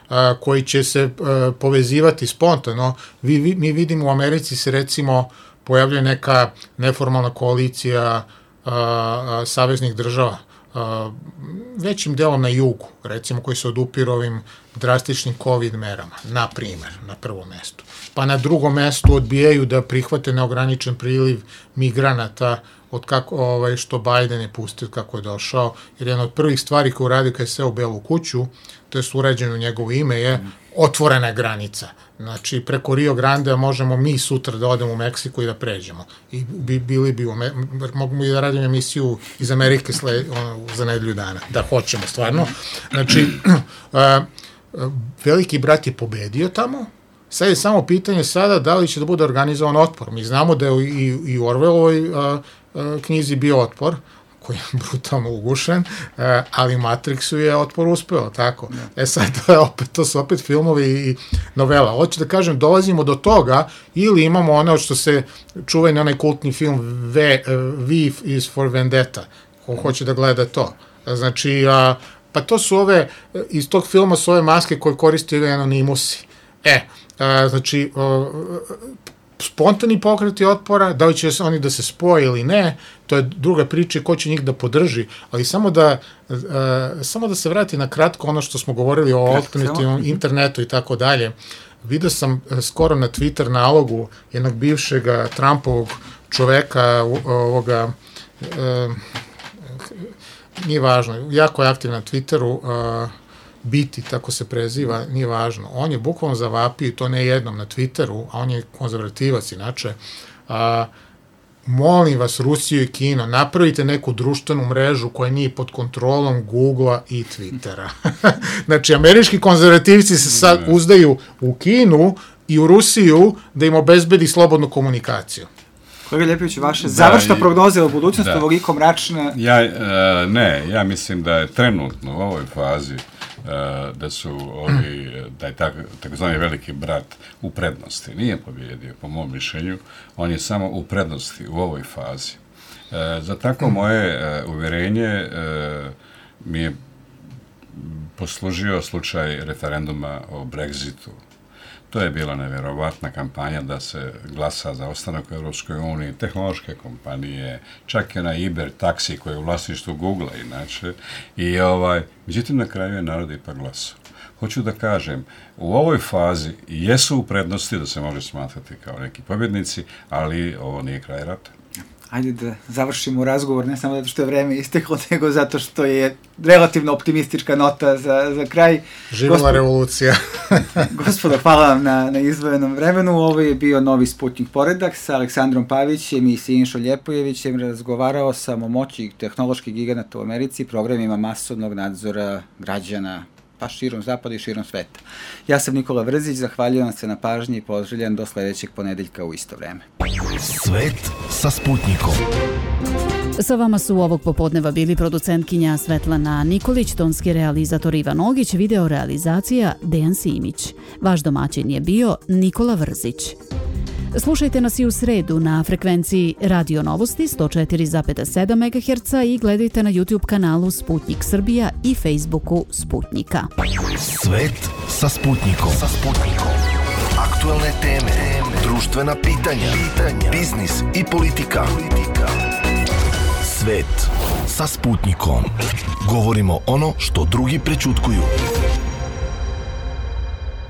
a, koji će se a, povezivati spontano? Vi, vi, mi vidimo u Americi se recimo pojavljuje neka neformalna koalicija a, a, saveznih država, a, većim delom na jugu, recimo koji se odupiru ovim drastičnim COVID merama, na primer, na prvom mestu. Pa na drugom mestu odbijaju da prihvate neograničen priliv migranata od kako, ovaj, što Biden je pustio kako je došao, jer jedna od prvih stvari koju radi kada je seo u Belu kuću, to je urađeno u njegovo ime, je otvorena granica. Znači, preko Rio Grande možemo mi sutra da odemo u Meksiko i da pređemo. I bi, bili bi, mogu i da radimo emisiju iz Amerike sle, ono, za nedelju dana, da hoćemo stvarno. Znači, uh, veliki brat je pobedio tamo, sad je samo pitanje sada da li će da bude organizovan otpor. Mi znamo da je i, i u Orwellovoj a, a, knjizi bio otpor, koji je brutalno ugušen, a, ali Matrixu je otpor uspeo, tako. E sad, to, je opet, to su opet filmovi i novela. Hoću da kažem, dolazimo do toga, ili imamo ono što se čuveni onaj kultni film V, V is for Vendetta, ko hoće da gleda to. Znači, a, pa to su ove, iz tog filma su ove maske koje koristili anonimusi. E, a, znači, a, spontani pokreti otpora, da li će oni da se spoje ili ne, to je druga priča ko će njih da podrži, ali samo da, uh, samo da se vrati na kratko ono što smo govorili o alternativnom internetu i tako dalje. Vidio sam skoro na Twitter nalogu jednog bivšeg Trumpovog čoveka, ovoga, uh, nije važno, jako je aktiv na Twitteru, uh, Biti, tako se preziva, nije važno. On je bukvalno zavapio, to ne jednom na Twitteru, a on je konzervativac inače, a, molim vas, Rusiju i Kino, napravite neku društvenu mrežu koja nije pod kontrolom Googlea i Twittera. Znači, američki konzervativci se sad uzdaju u Kinu i u Rusiju da im obezbedi slobodnu komunikaciju. Kolega Ljepović, vaše da, završna prognoza u budućnosti da. Ovoliko mračna? Ja, e, ne, ja mislim da je trenutno u ovoj fazi da su ovi, da je tak, takozvani veliki brat u prednosti. Nije pobjedio, po mom mišljenju, on je samo u prednosti u ovoj fazi. E, za tako moje e, uvjerenje e, mi je poslužio slučaj referenduma o Brexitu. To je bila nevjerovatna kampanja da se glasa za ostanak u Europskoj uniji, tehnološke kompanije, čak i onaj Uber taksi koji je u vlasništvu Googlea inače. I ovaj, međutim, na kraju je narod ipak glasao. Hoću da kažem, u ovoj fazi jesu u prednosti da se može smatrati kao neki pobjednici, ali ovo nije kraj rata. Ajde da završimo razgovor, ne samo zato što je vreme isteklo, nego zato što je relativno optimistička nota za, za kraj. Živjela Gospod... revolucija. Gospodo, hvala vam na, na izdvojenom vremenu. Ovo je bio Novi Sputnik poredak sa Aleksandrom Pavićem i Sinišom Ljepojevićem. Razgovarao sam o moći tehnoloških giganata u Americi, programima masovnog nadzora građana, pa širom zapada i širom sveta. Ja sam Nikola Vrzić, zahvaljujem se na pažnji i pozdravljam do sledećeg ponedeljka u isto vreme. Svet sa Sputnikom. Sa vama su ovog popodneva bili producentkinja Svetlana Nikolić, tonski realizator Ivan Ogić, video realizacija Dejan Simić. Vaš domaćin je bio Nikola Vrzić. Slušajte nas i u sredu na frekvenciji Radio Novosti sto četiri zarez sedam megaherca i gledajte na YouTube kanalu Sputnik Srbija i Facebooku Sputnika. Svet sa Sputnikom. Sa Sputnikom. Aktuelne teme, društvena pitanja, pitanja, biznis i politika. politika. Svet sa Sputnikom. Govorimo ono što drugi prećutkuju.